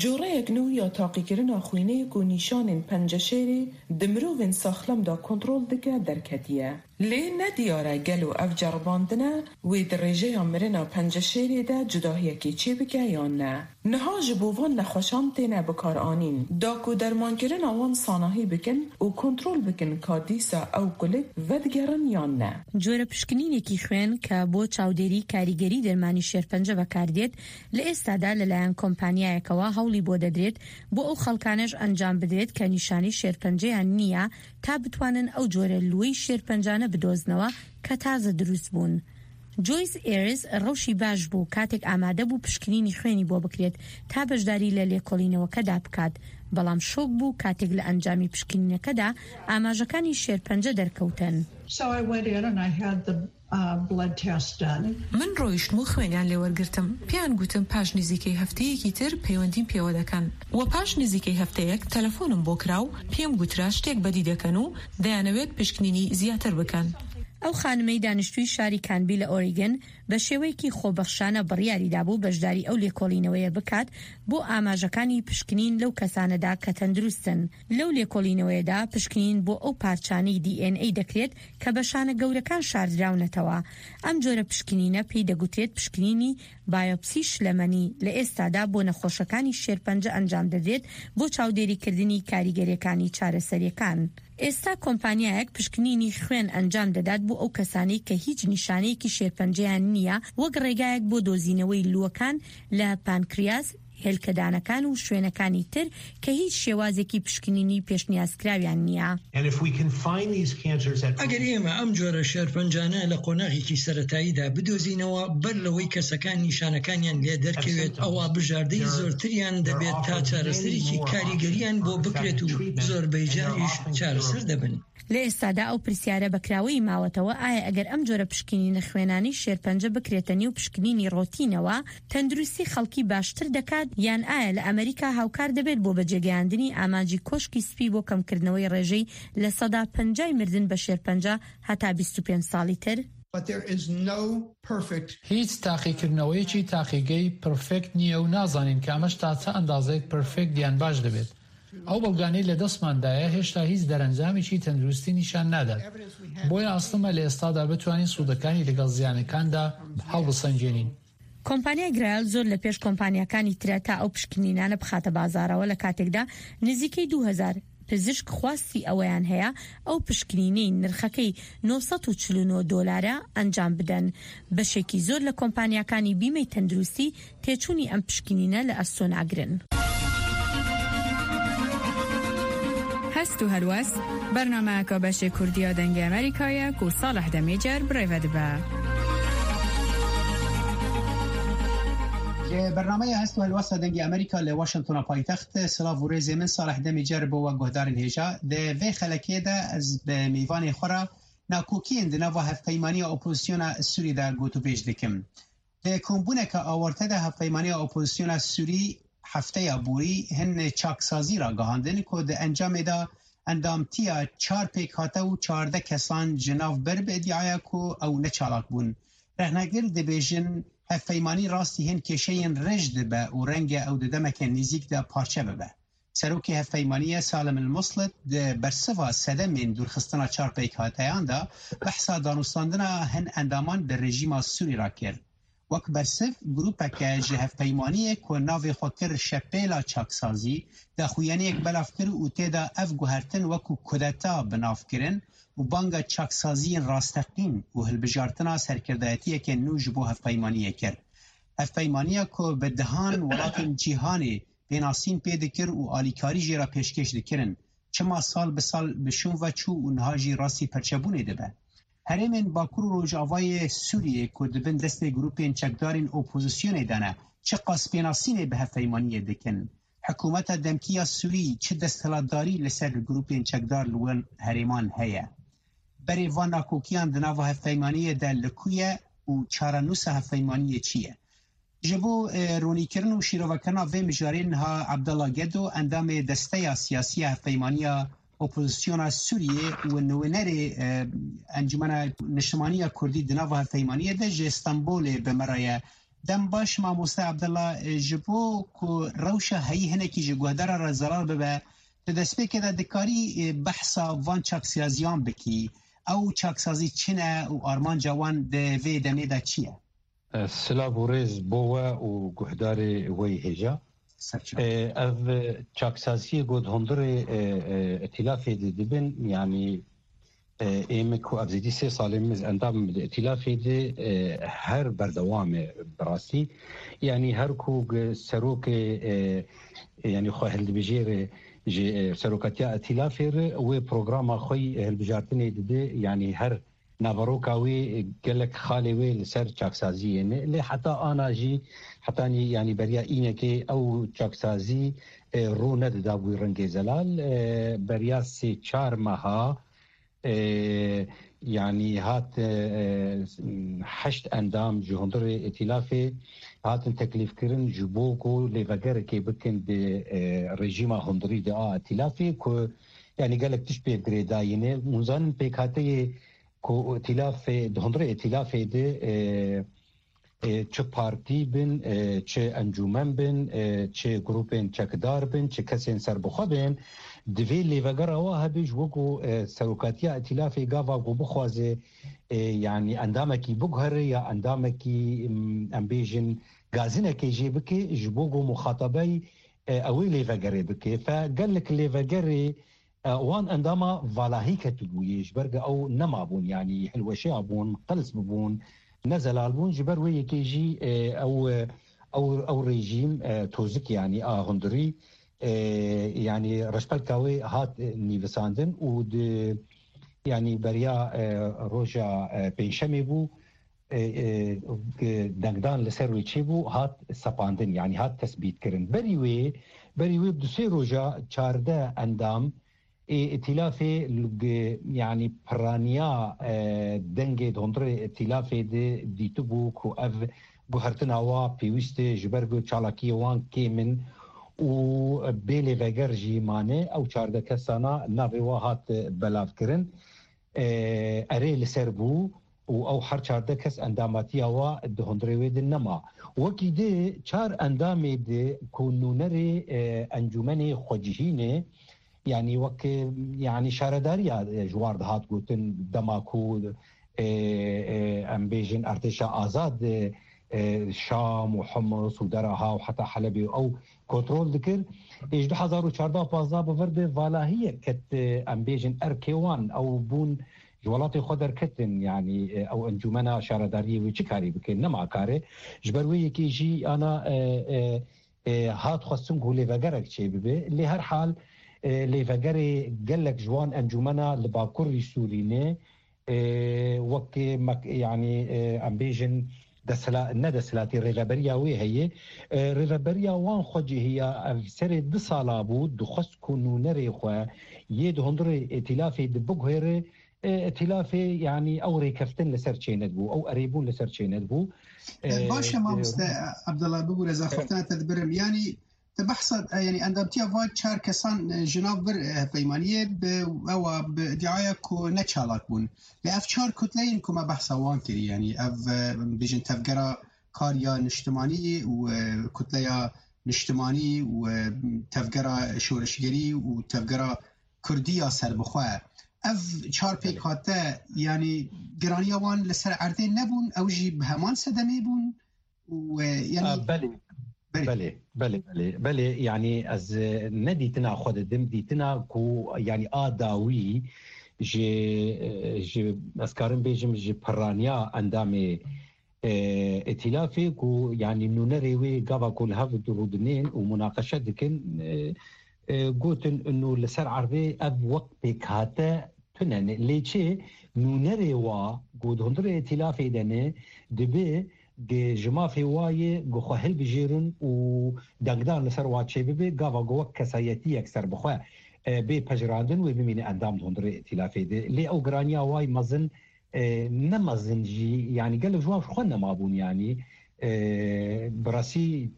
جۆرەیەک نوو یا تاقیکirina xwînê ku nîşanên penceşêrê di mirovên saxlem de kontrol dike derketiye. Lê ne diyar e gelo ev ceribandine wê di rêjeya mirina penceşêrê de cudahiyekê çêbike yan ne. Niha ji bo van nexweşan têne bikaranîn, da ku dermankirina wan sanahî bikin û kontrol bikin ka dîsa ew kulik vedigerin yan ne. جۆرە پشکنینێکی خوێن کە بۆ چاودێری کاریگەری دەرمانی شێرپەنجە بەکاردێت، لە ئێستادا لەلایەن کۆمپانیایەکەوە هەوڵی بۆ دەدرێت بۆ ئەو خەڵکانەش ئەنجام بدرێت کە نیشانەی شێرپەنجەیان نییە، تا بتوانن ئەو جۆرە لووەی شێرپەنجانە بدۆزنەوە کە تازە دروست بوون. جۆیس ئێرس ڕەوشی باش بوو کاتێک ئامادە بوو پشکنینی خوێنی بۆ بکرێت تا بەشداری لە لێکۆڵینەوەکەدا بکات، بەڵام شۆک بوو کاتێک لە ئەنجامی پشکنینەکەدا ئاماژەکانی شێرپەنجە دەرکەوتن. So I went in and I had the uh, blood test done. من ڕۆیشتم و خوێنیان لێوەرگرتم. پێیان گوتم پاش نزیکەی هەفتەیەکی تر پەیوەندیم پێوە دەکەن. و پاش نزیکەی هەفتەیەک تەلەفۆنم بۆ کرا و پێم گوترا شتێک بەدی دەکەن و دەیانەوێت پشکنینی زیاتر بکەن. ئەو خانمەی دانیشتووی شاری کانبی لە ئۆریگن بە شێوەیەکی خۆبەخشانە بڕیاری دابوو بەشداری ئەو لێکۆڵینەوەیە بکات بۆ ئاماژەکانی پشکنین لەو کەسانەدا کە تەندروستن. لەو لێکۆڵینەوەیەدا پشکنین بۆ ئەو پارچانەی DNA دەکرێت کە بە شانە گەورەکان شاردراونەتەوە. ئەم جۆرە پشکنینە پێی دەگوترێت پشکنینی بایۆپسی شلەمەنی. لە ئێستادا بۆ نەخۆشەکانی شێرپەنجە ئەنجام دەدرێت بۆ چاودێریکردنی کاریگەریەکانی چارەسەریەکان. ئێستا کۆمپانیایەک پشکنینی خوێن ئەنجام دەدات بۆ ئەو کەسانەی کە هیچ نیشانەیەکی شێرپەنجەیان نییە، وەک ڕێگایەک بۆ دۆزینەوەی لووەکان لە پانکریاس، هێلکەدانەکان و شوێنەکانی تر کە هیچ شێوازێکی پشکنینی پێشنیازکراویان نییە. And if we can find these cancers at ئەگەر ئێمە ئەم جۆرە شێرپەنجانە لە قۆناغێکی سەرەتاییدا بدۆزینەوە، بەر لەوەی کەسەکان نیشانەکانیان لێ دەرکەوێت، ئەوا بژاردەی زۆرتریان دەبێت تا چارەسەرێکی کاریگەریان بۆ بکرێت و زۆربەی جاریش چارەسەر دەبن. لە ئێستادا ئەو پرسیارە بەکراوەی ماوەتەوە، ئایا ئەگەر ئەم جۆرە پشکنینە خوێنانی شێرپەنجە بکرێتە نێو پشکنینی ڕۆتینەوە، تەندروستی خەڵکی باشتر دەکات، یان ئایا لە ئەمریکا هاوکار دەبێت بۆ بەجێگەیاندنی ئامانجی کۆشکی سپی بۆ کەمکردنەوەی ڕێژەی لە سەدا پەنجای مردن بە شێرپەنجە هەتا بیست و پێنج ساڵی تر؟ But there is no perfect هیچ تاقیکردنەوەیەکی تاقیگەی پرفێکت نییە و نازانین کە ئەمەش تا چە ئەندازەیەک پرفێکت یان باش دەبێت. ئەو بەڵگانەی لە دەستماندایە هێشتا هیچ دەرەنجامێکی تەندروستی نیشان نادات. بۆیە ئەستمە لە ئێستادا بتوانین سوودەکانی لەگەڵ زیانەکاندا هەڵبسەنگێنین. کۆمپانیای گرایل زۆر لە پێش کۆمپانیاکانی ترە تا ئەو پشکنینانە بخاتە بازارەوە، لە کاتێکدا نزیکەی دوو هەزار پزیشک خواستی ئەوەیان هەیە ئەو پشکنینەی نرخەکەی نۆ سەد و چل و نۆ دۆلارە ئەنجام بدەن. بەشێکی زۆر لە کۆمپانیاکانی بیمەی تەندروستی تێچوونی ئەم پشکنینە لە ئەستۆ ناگرن. هەست و هەلوەست، بەرنامەیەکە بەشێ کوردیە دەنگی ئەمریکایە کو ساڵح دەمێجەر بڕێوە دبە. Li bernameyê Hest û Helwesta Dengê Amerîka li Washingtona paytext, silav û rêzê min Salih Demîcer bo we guhdarên hêja. Di vê xelekê de ez bi mêvanê xwe re nakokiyên di nava hevpeymaniya opozisyona Sûrî de gotûbêj dikim. Di kombûneke awarte de hevpeymaniya opozisyona Sûrî hefteya borî hin çaksazî ragihandin ku di encamê de endamtiya çar pêkhate û çardeh kesan ji nav bir bi îdiaya ku ew neçalak bûn. Rexnegir dibêjin hevpeymanî rastî hin kêşeyên rij dibe û renge ew di demeke nêzîk de parçe bibe. Serokê hevpeymaniyê Salim El Muslit di bersiva sedemên dûrxistina çar pêkhateyan de behsa danûstandina hin endaman bi rejîma Sûrî re kir. Wek bersiv, grûpeke ji hevpeymaniyê ku navê xwe kir Şepêla Çaksazî, daxuyaniyek belav kir û tê de ev guhertin wekû kudeta bi nav kirin û banga çaksaziyên rasteqîn û hilbijartina serkirdayetiyeke nû ji bo hevpeymaniyê kir. Hevpeymaniya ku bi dehan welatên cîhanê pênasîn pê dikir û alîkarî jê re pêşkêş dikirin, çima sal bi sal bi şûn ve çû û niha jî rastî perçebûnê dibe. Herêmên Bakur û Rojavayê Sûriyê ku di bin destê grûpên çekdarên opozisyonê de ne, çiqas pênasînê bi hevpeymaniyê dikin? Hikûmeta demkî ya Sûrî çi desthilatdarî li ser grûpên çekdar li wan herêman heye? Berê van nakokiyan di nava hevpeymaniyê de li ku ye û çarenûsa hevpeymaniyê çi ye? Ji bo, e, ronîkirin û şîrovekirina vê mijarê niha Abdullah Gedo, endamê Desteya Siyasî ya Hevpeymaniya Opozisyona Sûriyê û nûnerê, e, Encûmena Niştimanî ya Kurdî di nava hevpeymaniyê de ji Stenbolê bi me re ye. Dem baş mamoste Abdullah, e, ji bo ku rewşa heyî hinekî ji guhdara re zelal bibe, di destpêkê de dikarî, e, behsa van çaksiyaziyan bikî. Ew çaksazî çi ne û armanca wan di vê demê de çi ye? Silav û rêz bo we û guhdarê we yê hêja. Serçe. E, ev çaksaziyê ku di hundirê, e, e, îtîlafê de dibin, yanî, e, ê min ku ev zêdî sê salên min endam di îtîlafê de, e, her berdewam e bi rastî. Yanî her ku g-, serokê, e, yanî xwe hildibijêre ji, e, serokatiya îtîlafê re wê programa xwe yî hilbijartinê dide, yanî her naveroka wê gelek xalê wê li ser çaksaziyê ne. Lê heta ana jî, hetanî, yanî beriya înekê ew çaksazî, e, rû nedida wî rengê zelal. E, beriya sê çar meha, e, yanî hat, e, e, heşt endam ji hundirê îtîlafê hatin teklîfkirin ji bo ku lêvegerekê bikin di, e, rejîma hundirî di a îtîlafê ku, yanî gelek tişt pê girêdayî ne. Hûn zanin pêkhateyê ku îtîlafê, di hundirê îtîlafê de, e, e, çi partî bin, e, çi encûmen bin, e, çi grûpên çekdar bin, çi kesên serbixwe bin, divê lêvegera wa hebe ji bo ku, e, serokatiya îtîlafê gava ku bixwaze, e, yanî endamekî biguhere ya endamekî, m, em bêjin gazinekê jê bike ji bo ku muxatabey, e, ew ê lêvegerê bike. Fe gelek lêvegerê, e, wan endama valahî ketibûyê, ji ber ku ew nemabûn, yanî hilweşeya bûn, qels bibûn, ne zelal bûn, ji ber wê yekê jî, e, ew, e, ew, ew rejîm, e, tozik, yanî a hundirî, e, yanî reşbelka wê hat, e, nivîsandin û di, yanî beriya, e, roja, e, pêncşemê bû, e, e, dengdan li ser wê çêbû, hat sepandin, yanî hat tesbîtkirin. Berî wê, berî wê bi du sê roja çardeh endam ê îtîlafê li, yanî piraniya, e, dengê di hundirê îtîlafê de dîtibû ku ev guhertina wa pêwîst e, ji ber ku çalakiyê wan kêm in û bê lêveger jî mane. Ew çardeh kesana navê wa hat belavkirin. E, erê li ser bû û ew her çardeh kes endamatiya wa di hundirê wê de nema. Wekî di çar endamê di ku nûnerê, e, encûmenê xwecihî ne, yanî wek, e, yanî şaredariya, e, ji war dihat gotin dema ku, e, e, em bêjin erdêşa azad, e, e, Şam û Humus û Dera Ha û heta Helebê û ew kontrol dikir. Ê ji du hezar û çardeh pazdeh bi vir de valahiyek ket, e, em bêjin erkê wan, ew bûn ji welatê xwe derketin, yanî, e, ew encûmena şaredariyê wê çi karî bike, nema kare. Ji ber wê yekê jî ana, e, e, e, hat xwestin ku lêvegerek çêbibe. Lê her hal, e, lêvegerê gelek ji wan encûmena li Bakurî Sûrî ne, e, wek mek-, yanî, e, em bêjin desthilat, ne desthilatî, rêveberiya wê heye. E, rêveberiya wan xwecihî ya ev serê du sala bû, dixwest ku nûnerê xwe yê di hundirê îtîlafê de biguhere, e, îtîlafê, yanî ew rêkeftin li ser çênedibû, ew erêbûn li ser çênedibû. E, baş e, e, mamoste Abdullah, bibûre, ez axaftina te dibirim. Yanî, te behsa, e, yanî endamtiya van çar kesan, e, ji nav vir, e, hevpeymaniyê bi ewa, bi îdiaya ku ne çalak bûn. Lê ev çar kutleyên ku me behsa wan kirî, yanî ev, e, bijin tevgera kar ya niştimanî û, e, kutleya niştimanî û, e, tevgera şoreşgerî û tevgera kurdî ya serbixwe. Ev çar pêkhate, yanî giraniya wan li ser erdê nebûn, ew jî bi heman sedemê bûn û, e, yanî A, belê. Belê. Belê, belê, belê, belê. Yanî ez, e, ne dîtina xwe didim, dîtina ku, yanî a dawî ji, e, ji, ez karim bêjim, ji pirraniya endamê, e, îtîlafê ku, yanî, nûnerê wê gava ku li hev rûdinên û munaqeşe dikin, e, e, gotin û li ser erdê ev wek pêkhate tune ne. Lê çi nûnerê wa ku di hundirê îtîlafê de ne, dibe gi ji mafê wa yê ku xwe hilbijêrin û dengdan li ser wa çêbibe, gava ku wek kesayetiyek serbixwe, e, bê pejirandin wê bimîne endam di hundirê îtîlafê de. Lê ew giraniya wa yê mezin, e, ne mezin jî, yanî gelek ji wan ji xwe nemabûn, yanî, e, bi rastî,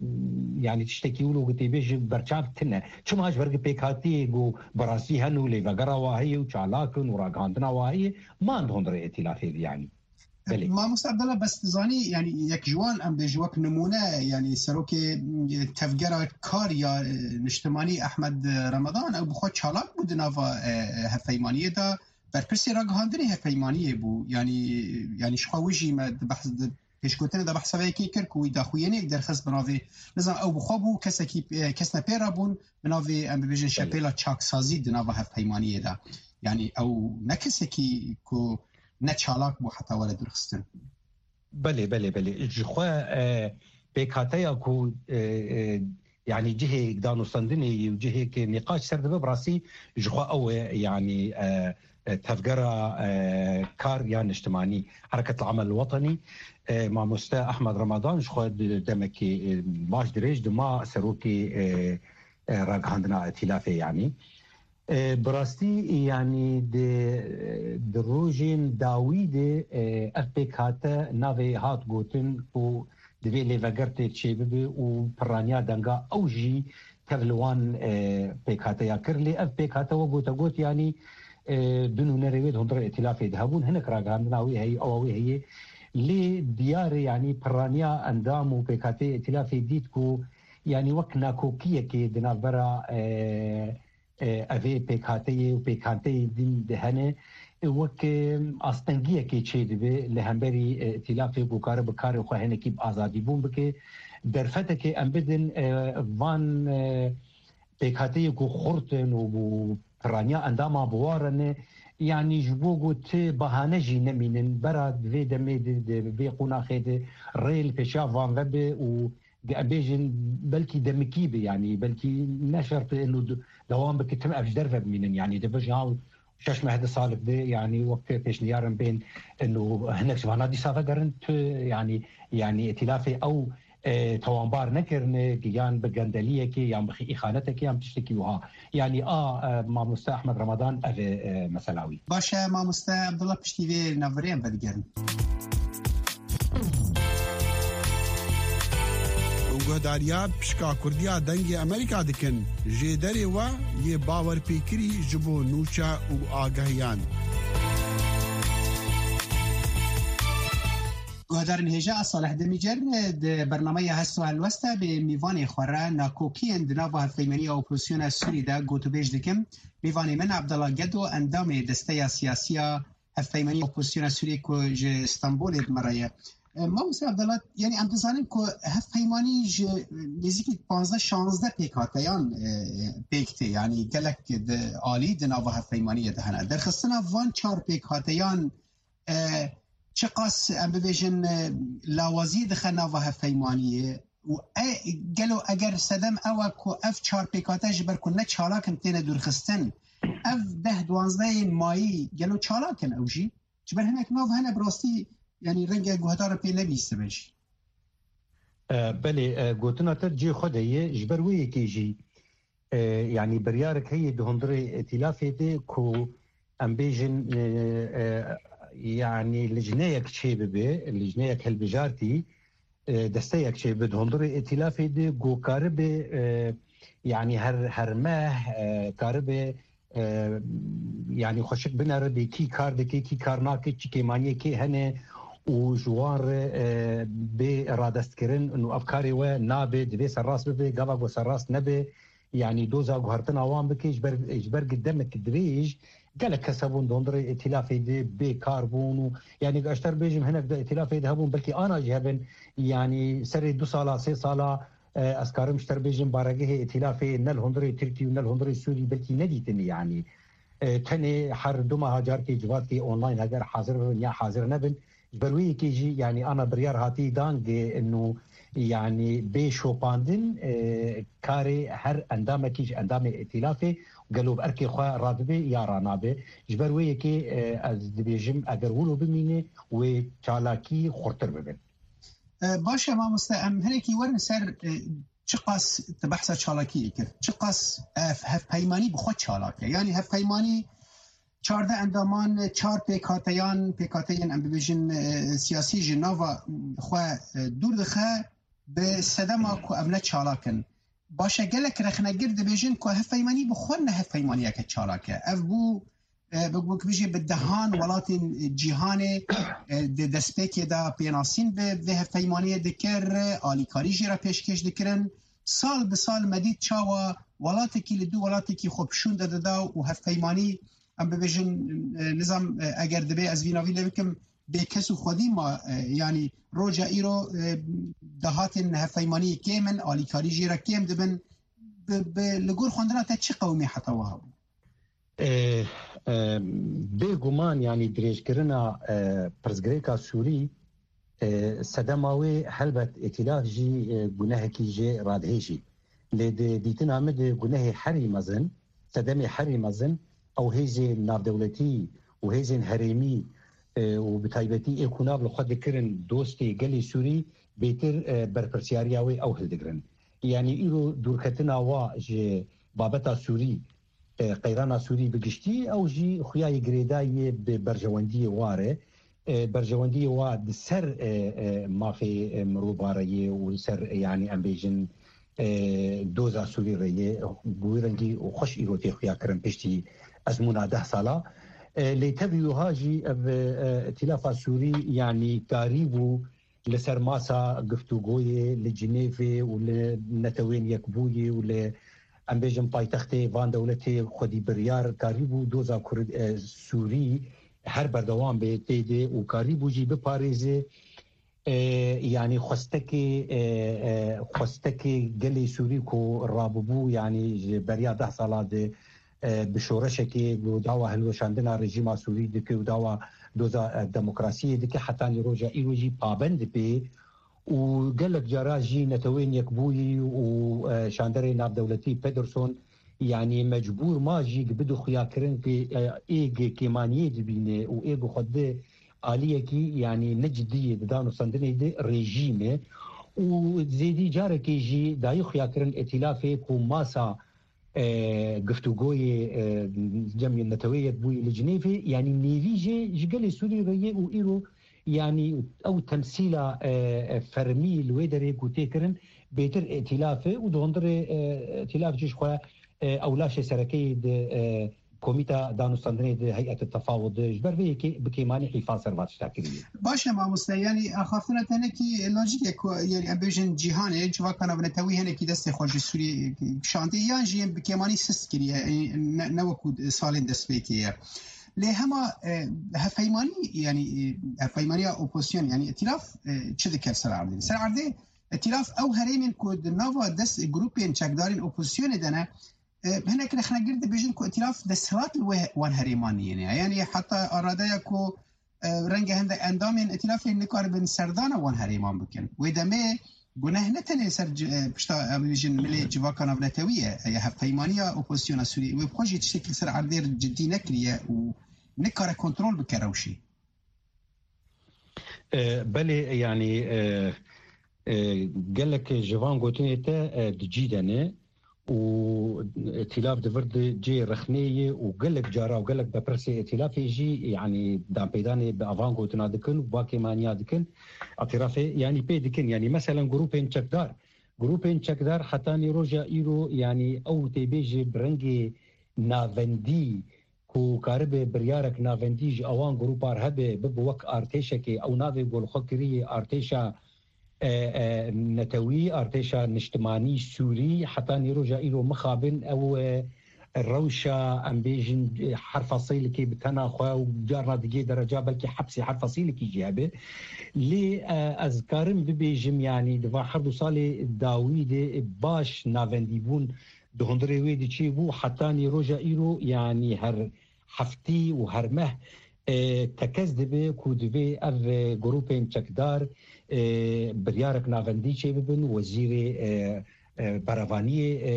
yanî tiştekî wilo ku tê bê ji berçav tine. Çima ji ber ku pêkhatiyê ku bi rastî hene û lêvegera wa heye û çalak in û ragihandina wa heye, man di hundirê îtîlafê de, yanî. Belê. Mamoste Abdullah, bes dizanî, yanî yek ji wan, em bêjin wek nimûne, yanî serokê, e, tevgera kar ya, e, niştimanî Ehmed Ramadan, ew bi xwe çalak bû di nava, e, hevpeymaniyê de, berpirsê ragihandinê hevpeymaniyê bû. Yanî, yanî ji xwe wijî me di behs, di pêşgotinê de behsa vê yekê kir ku wî daxuyaniyek derxist bi navê, nizam, ew bi xwe bû kesekî, e, kesne pê re bûn bi navê, em bibêjin, Belê. şepêla çaksazî di nava hevpeymaniyê de. Yanî ew ne kesekî ku ne çalak bû heta were dûrxistin. Belê, belê, belê. Ji xwe, e, pêkhateya ku, e, e, yanî cihê danûstandinê yî û cihê ke nîqaş ser dibe, bi rastî ji xwe ew e, yanî, e, e, tevgera, e, kar ya niştimanî, Hereket Amel Wetenî, e, Mamoste Ehmed Ramadan ji xwe di demekî, e, baş dirêj dima serokê, e, e, ragihandina îtîlafê, yanî. E, bi rastî, yanî di, di rojên dawî de, e, ev pêkhate navê hat gotin ku divê lêveger tê çêbibe û pirraniya denga ew jî tev li wan, e, pêkhateya kir. Lê ev pêkhate wek gote got, yanî, e, du nûnerê wê di hundirê îtîlafê de hebûn. Hinek ragihandina wê heye, ewa wê heye. Lê diyar e, yanî pirraniya endam û pêkhateyê îtîlafê dît ku, yanî wek nakokiyekê di navbera, e, e, evê pêkhateyê û pêkhateyê din de hene, e, wek, e, astengiyekê çêdibe li hemberî, e, îtîlafê ku kare bi karê xwe hinekî bi azadîbûn bike. Derfetekê em bidin, e, van, e, pêkhateyê ku xurt in û, û pirraniya endama bi wa re ne, yanî ji bo ku ti bahane jî nemînin, bera di vê demê de, di vê qonaxê de rê li pêşiya van ve be û di, em bêjin, belkî demikî be, yanî belkî ne şert e ino du-, dewam bike, tim ev ji derve bimînin, yanî di vejin ha şeş meh di salek de, yanî wek pêşniyar in bên ino hinek ji vana dîsa vegerin, tu, yanî, yanî îtîlafê ew, e, tewanbar nekirine, yan bi gendeliyekê, yan bi xî-, îxanetekê, yan tiştekî wiha. Yanî a, e, mamoste Ehmed Ramadan ev e, e, mesela wî. Baş e, mamoste Abdullah, piştî vê navberê em vedigerin. Hûn guhdariya pişka Kurdiya Dengê Amerîka dikin. Jêderê we yê bawerpêkirî ji bo nûçe û agahiyan. Guhdarên hêja, ez Salih Demîcer, di bernameya Hest û Helwesta bê mîvanê xwe re nakokiyên di nava hevpeymeniya opozisyona Sûrî de gotûbêj dikim. Mîvanê min Abdullah Gedo, endamê desteya siyasiya hevpeymeniya opozisyona Sûriyê ku ji Stenbolê bi me re ye. E, Mamoste Abdullah, yanî em dizanin ku hevpeymanî ji nêzîkî panzdeh şanzdeh pêkhateyan, e, pêk tê, yanî gelek di alî di nava hevpeymaniyê de hene. Derxistina van çar pêkhateyan, e, çiqas, em bibêjin, e, lawazî dixe nava hevpeymaniyê û e, gelo eger sedem ew e ku ev çar pêkhate ji ber ku ne çalak in têne dûrxistin, ev deh duwazdehên mayî gelo çalak in ew jî? Ji ber hinek nav hene bi rastî, yanî renge guhdaran pê nebîstibin jî. E, belê, e, gotina te cihê xwe de ye. Ji ber wê yekê jî, e, yanî biryarek heye di hundirê îtîlafê de ku em bêjin, e, e, yanî lijneyek çêbibe, lijneyek hilbijartî, e, desteyek çêbibe di hundirê îtîlafê de ku karibe, e, yanî her, her meh, e, karibe, e, yanî xweşik binere bê kî kar dike, kî kar nake, çi kêmaniyê kê hene û ji wan re, e, bê radestkirin û ev karê we nabe, divê serrast bibe, gava ku serrast nebe, yanî doza guhertina wan bike, ji ber, ji ber ku demek dirêj gelek kes hebûn di hundirê îtîlafê de bê kar bûn û, yanî, ez ji te re bêjim, hinek di îtîlafê de hebûn, belkî ana jî hebin, yanî serê du sala, sê sala, e, ez karim ji te re bêjim, baregehê îtîlafê ne li hundirê Tirkî û ne li hundirê Sûrî belkî nedîtin, yanî, e, tenê her du meha carkê civatkê online heger hazir bibin ya hazir nebin, Ji ber wê yekê jî, yanî ana biryar hatî dan ge inu, yanî bê şopandin, e, karê her endamekî ji endamê îtîlafê gelo bi erkê xwe radibe ya ranabe. Ji ber wê yekê, e, ez dibêjim, eger wilo bimîne, wê çalakî xurtir bibin. E, baş e mamoste, em hinekî werin ser, e, çiqas te behsa çalakiyê kir, çiqas ev hevpeymanî bi xwe çalak e. Yanî hevpeymanî çardeh endaman, çar pêkhateyan, pêkhateyên em bibêjin, e, siyasî ji nava xwe, e, dûr dixe, bi sedema ku ev ne çalak in. Baş e, gelek rexnegir dibêjin ku hevpeymanî bi xwe ne hevpeymaniyeke çalak e. Ev bû, e, bi, bi, bijî bi dehan welatên cîhanê, e, di destpêkê de pênasîn bi vê hevpeymaniyê dikir, alîkarî jê re pêşkêş dikirin. Sal bi sal me dît çawa welatekî li dû welatekî xwe pişûn de dida û hevpeymanî, em bibêjin, e, nizam, e, eger divê ez vî navî lê bikim, bêkes û xwedî ma, e, yanî roja îro, e, dahatên hevpeymaniyê kêm in, alîkarî jê re kêm dibin. Bi, bi, li gor xwendina te çi qewimî heta wiha bû? E, e, Bêguman, yanî dirêjkirina, e, pirsgirêka Sûrî, e, sedema wê helbet îtîlaf jî, e, gunehekî jê radihêjî. Lê di dîtina min de gunehê herî mezin, sedemê herî mezin, ew hêzên navdewletî û hêzên herêmî, e, û bi taybetî ê ku nav li xwe dikirin dostê gelê Sûrî, bêtir, e, berpirsiyariya wê ew hildigirin. Yanî îro dûrketina wa ji babeta Sûrî, e, qeyrana Sûrî bi giştî, ew jî xuya yê girêdayî yê bi berjewendiyê wa re. E, berjewendiyê wa di ser, e, e, mafê, e, mirovare yê û li ser, e, yanî em bêjin, e, doza Sûrî re yê, bi wî rengî û xweş îro tê xuya kirin piştî ezmûna deh sala. E, lê tevî wiha jî ev, e, îtîlafa Sûrî, yanî karîbû li ser masa giftûgoyê li Cinêvê û li Netewên Yekbûyî û li, em bêjin, paytextê van dewletê xwedî biryar karîbû doza Kurd, e, Sûrî her berdewam bê tê de û karîbû jî biparêze, e, yanî xwestekê, e, e, xwestekê gelê Sûrî ku rabûbû, yanî ji beriya deh sala de, e, bi şoreşekê ku dawa hilweşandina rejîma Sûrî dike û dawa doza, e, demokrasiyê dike, hetanî roja îro jî pabend bê û gelek cara jî Netewên Yekbûyî û, e, şanderê navdewletî Pederson, yanî mecbûr ma jî bidixuya kirin ku, e, ê gi kêmaniyê dibîne û ê gi xwe di aliyekî, yanî ne cidî yê di danûstandinê de rejîm e û zêdî carekê jî dayî xuya kirin îtîlafê ku masa, e, giftûgoyê, e, Cemiyê Neteweyê Yekbûyî li Cinêvê, yanî nêvî jê ji gelê Sûrî re yê û îro, yanî ew temsîla, e, e, fermî li wê derê ku tê kirin, bêtir îtîlaf e û di hundirê, e, îtîlaf jî ji xwe, e, ew laşê serekeyê di, e, Komîta Danûstandinê di Heyet Tefawud de ji ber vê yekê bi kêmanî hîfa ser va tişta kiriye. Baş e mamoste, yanî axaftina tenekî lojîk e ku, yanî em bêjin cîhanê, civaka navnetewî hinekî destê xwe ji Sûriyê kişandiye yan jî bi kêmanî sist kiriye, e, ne, ne wekû salên destpêkê ye. Lê hema, e, hevpeymanî, yanî, e, hevpeymaniya opozîsyon, yanî îtîlaf, e, çi dike ser erdê? Ser erdê îtîlaf ew herêmên ku di nava dest grûpên çekdarên opozîsyonê de ne, e, hinek rexnegir dibêjin ku îtîlaf desthilat li wê, wan herêman niyêne. Yanî heta aradeya ku, e, renge hende endamên îtîlafê nikaribin serdana wan herêman bikin. Wê demê guneh ne tenê ser ci-, e, pişta, em bêjin, milê civaka navnetewî ye, e, hevpeymaniya opozisyona Sûriyê. Wê bi xwe jî tiştekî li ser erdê cidî nekiriye û nikare kontrol bike rewşê. E, belê, yanî, e, e, gelek ji van gotinê te, e, di cî de ne û îtîlaf di vir de cihê rexnê ye û gelek cara û gelek berpirsê îtîlafê jî, yanî, danpêdanê bi avan gotina dikin û va kêmaniya dikin, îtirafê, yanî, pê dikin. Yanî, meselen, grûpên çekdar, grûpên çekdar hetanî roja îro, yanî, ew tê bêje bi rengê navendî, ku karibe biryarek navendî ji ewan grûpar hebe, bibe wek artêşekê, ew navê ku li xwe kiriye artêşa, e, e, netewî, artêşa niştimanî Sûrî, hetanî roja îro mixabin ew, e, rewşa, em bêjin, e, her fesilekê bi tena xwe û carna digê dereca belkî hepsê her fesilekî jî hebe. Lê, e, ez karim bibêjim, yanî di van her du salê dawî de baş navendîbûn di hundirê wê de çêbû, hetanî roja îro, yanî her heftî û her meh, e, tekez dibe ku divê ev, e, grûpên çekdar, e, biryarek navendî çêbibin, wezîrê, e, e, berevaniyê, e,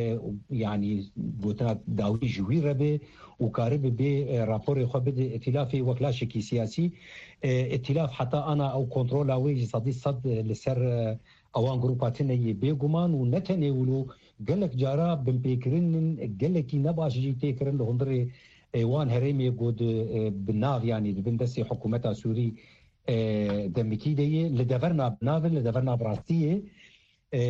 yanî gotina dawî ji wî re be û karibe bê, e, raporê xwe bide îtîlafê wek laşekî siyasî. E, îtîlaf heta ana ew kontrola wê ji sedî sed, e, li ser, e, ewan grûpa tune yê bêguman û ne tenê wilo gelek cara binpêkirin gelekî ne baş jî tê kirin li hundirê, e, wan herêmê ku di, e, bi nav, yanî di bin destê hikûmeta Sûrî, e, demikî de ye, li deverna bi nav in, li deverna bi rastî ye. E,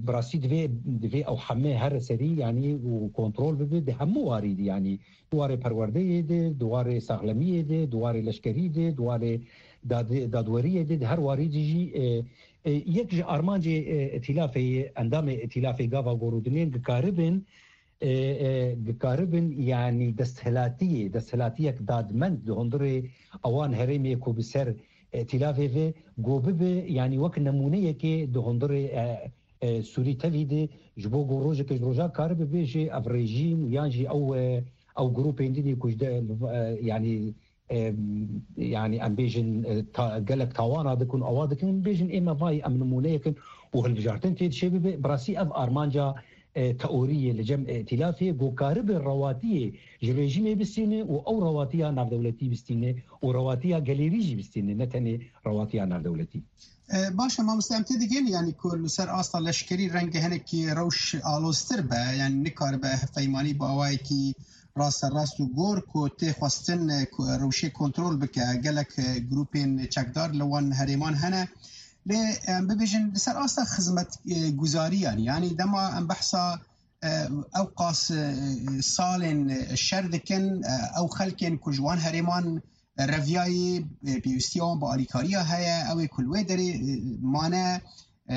bi rastî divê, divê ew heme here serî, yanî û kontrol bibe di hemû warî de, yanî di warê perwerdeyê de, di warê saxlemiyê de, di warê leşkerî de, di warê dad-, dadweriyê de, di her warî de jî, e, e, yek ji armancê, e, îtîlafê ye, endamê îtîlafê gava gorûdinên dikaribin, e, e, dikaribin, yanî desthilatiyê, desthilatiyek dadmend di hundirê ewan herêmê ku bi ser îtîlafê ve go bibe, yanî wek nemûneyekê di hundirê, e, e, Sûrî tevî de, ji bo ku rojeke ji roja karibe bêje ev rejîm yan jî ew, e, ew grûpên din ku ji de, e, yanî, e, yanî em bêjin, e, ta-, gelek tawana dikin, awa dikin, bêjin ê me vay em nimûneyek in û hilbijartin tê dişê bibe. Bi rastî ev armanca, e, teoriyê li cem, e, îtîlafê ku karibe rewatiyê ji rejîmê bistîne û ew rewatiya navdewletî bistîne û rewatiya gelêrî jî bistîne, ne tenê rewatiya navdewletî. E, baş e, mamoste, em tê digihîn, yanî ku li ser asta leşkerî rengê hinekî rewş aloztir be, yanî nikaribe hevpeymanî bi awayekî rasterast û gor ku tê xwestin, e, ku rewşê kontrol bike. Gelek, e, grûpên çekdar li wan herêman hene. Lê, em bibêjin, li ser asta xizmet, e, guzariyan, yanî dema em behsa, e, ew qas, e, salên, e, şer dikin, e, ew xelkên ku ji wan herêman reviyayê, e, pêwîstiya wan bi alîkariya heye, ew ê ku li wê derê, e, mane, e,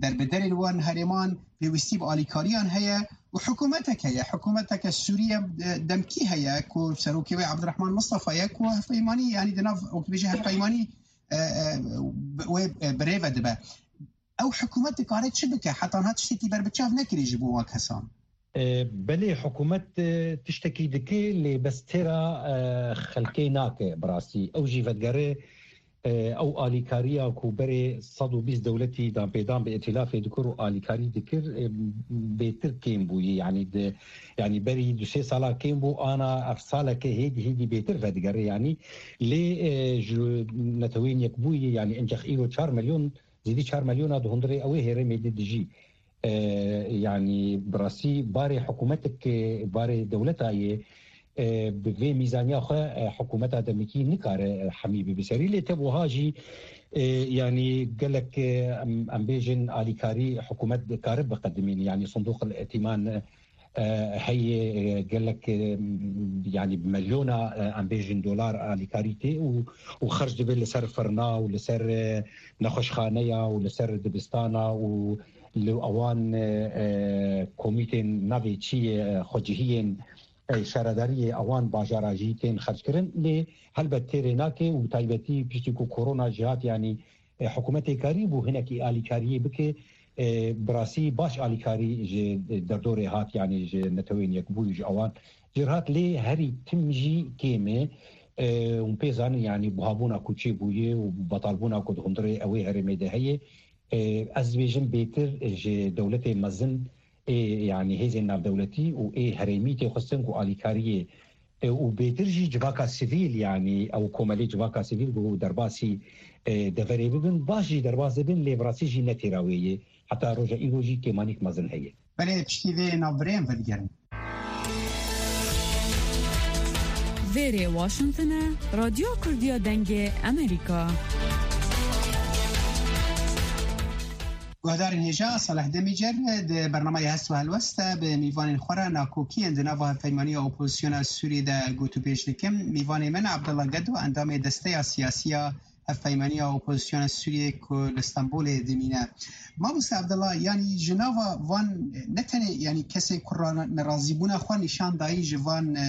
derbederên wan herêman pêwîstî bi alîkariyan heye û hikûmetek heye, hikûmeteke Sûriye, e, demkî heye ku serokê wê Abdurrahman Mustafa ye ku hevpeymanî, yanî di nav, wek dibêje hevpeymanî, e, e, wê, e, bi rê ve dibe. Ew hikûmet dikare çi bike? Heta niha tiştekî berbiçav nekirî ji bo wan kesan. E, belê, hikûmet, e, tiştekî dike, lê bes têra, e, xelkê nake bi rastî. Ew jî vedigere, e, ew alîkariya ku berê sed û bîst dewletî danpêdan bi îtîlafê dikir û alîkarî dikir, e, bêtir kêm bûye. Yanî di, yanî berî du sê sala kêm bû, ana ev saleke hêdî hêdî bêtir vedigere. Yanî lê, e, ji Neteweyên Yekbûyî, yanî encex îro çar milyon, zêdî çar milyona di hundirê ew ê herêmê de dijî. E, yanî bi rastî barê hikûmetek, barê dewleta yê, e, bi vê mîzaniya xwe, e, hikûmeta demikî nikare, e, hemî bibe serî. Lê tev wiha jî, e, yanî gelek, e, em, em bêjin alîkarî hikûmet dikare biqedimîne. Yanî Sindoq el Îtîman, e, e, heye, e, gelek, e, yanî bi milyona, e, em bêjin dolar alîkarî tê û, û xerc dibe li ser firna û li ser, e, nexweşxaneya û li ser dibistana û li ewan, e, e, komîtên navê çi ye, e, xwecihiyên, e, şaredariyê ewan bajara jî tên xerckirin. Lê helbet têrê nake û bi taybetî piştî ku korona jî hat, yanî, e, hikûmetê karî bû hinekî alîkariyê bike, e, bi rastî baş alîkarî ji derdorê hat, yanî ji Neteweyên Yekbûyî, ji ewan jî hat, lê herî tim jî kêm e. E, hûn pê zanin, yanî buhabûna ku çêbûye û betalbûna ku di hundirê ew ê herêmê de heye, e, ez dibêjim bêtir ji dewletê mezin ê, yanî hêzên navdewletî û ê herêmî tê xwestin ku alîkariyê, e, û bêtir jî civaka sivîl, yanî ew komelê civaka sivîl ku derbasî, e, deverê bibin, baş jî derbas dibin, lê bi rastî jî ne têra wê ye. Heta roja îro jî kêmanîk mezin heye. Belê, piştî vê navbirê em vedigerin. Vêrê Washington e, Radyo Kurdiya Dengê Amerîka. Guhdarên hêja, Salih Demîcer di bernameya Hest û Helwest de bi mîvanên xwe re nakokiyên di nava hevpeymaniya opozisyona Sûriyê de gotûbêj dikim. Mîvanê min Abdullah Gedo, endamê desteya siyasî ya hevpeymaniya opozisyona Sûriyê ku li Stenbolê dimîne. Mamoste Abdullah, yanî ji nava van ne tenê, yanî kesên ku ra-, nerazîbûna xwe nîşan dayî ji van, e,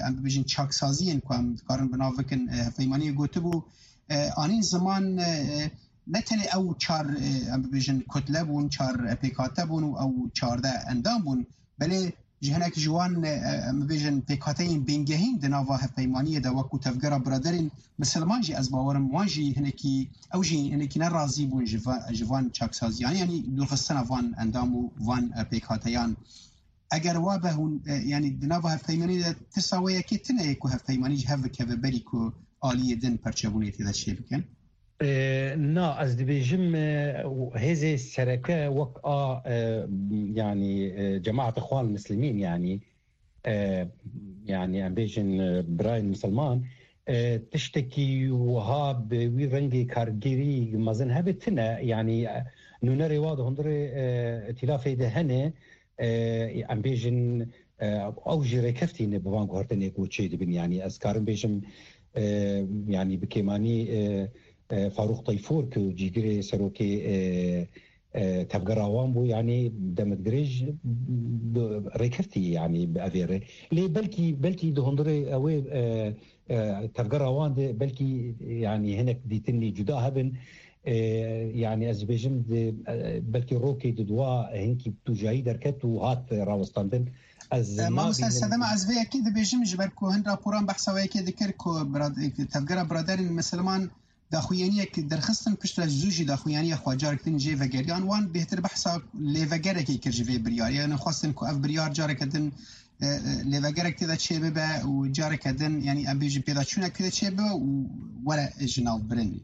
em bibêjin çaksaziyên ku em dikarin bi nav bikin, e, hevpeymaniyê gotibû, e, anîn ziman, e, ne tenê ew çar, e, em bibêjin kutle bûn, çar, e, pêkhate bûn û ew çardeh endam bûn, belê ji hinek ji wan, e, em bibêjin, pêkhateyên bingehîn di nava hevpeymaniyê de, wekû Tevgera Biraderên Misilman jî, ez bawerim wan jî hinekî, ew jî hinekî nerazî bûn ji va-, ji van çaksaziyan, yanî dûrxistina van endam û van, e, pêkhateyan. Eger wa be hûn, e, yanî di nava hevpeymaniyê de tirsa wê yekê tune ye ku hevpeymanî ji hev bikeve berî ku aliyê din perçebûnê tê de çêbikin? E, na, ez dibêjim, e, hêzê sereke wek a, e, yanî, e, cemaeta Xwan Muslimîn, yanî, e, yanî, em bêjin, e, birayên misilman, e, tiştekî wiha bi wî rengê kargêrî mezin hebe tune, yanî, e, nûnerê wa di hundirê, e, îtîlafê de hene, e, em bêjin, e, ew jî rêkeftî ne bi van guhertinê ku çê dibin. Yanî ez karim bêjim, e, yanî bi kêmanî, e, e, Farûq Teyfûr ku cîgirê serokê, e, e, tevgera wan bû, yanî demek dirêj bi rêkeftî, yanî bi evê rê. Lê belkî, belkî di hundirê ew ê, e, e, tevgera wan de belkî, yanî hinek dîtinî cuda hebin. E, yanî ez dibêjim di, e, belkî rokê di dua hinkî tûjayî derket û hat rawestandin. Ez E, mamoste nabînim. Sedema, ez vê yekê dibêjim, ji ber ku hin raporan behsa wê yekê dikir ku birad-, Tevgera Biraderên Misilman daxuyaniyek derxistin, piştre zû jî daxuyaniya xwe carek din jê vegeriyan. Wan bêhtir behsa lêvegerekê kir ji vê biryarê. Yanî xwestin ku ev biryar careke din, e, e, lêvegerek tê de çê bibe û careke din, yanî em bêjin pêdaçûnek tê de çê bibe û were ji nav birinê.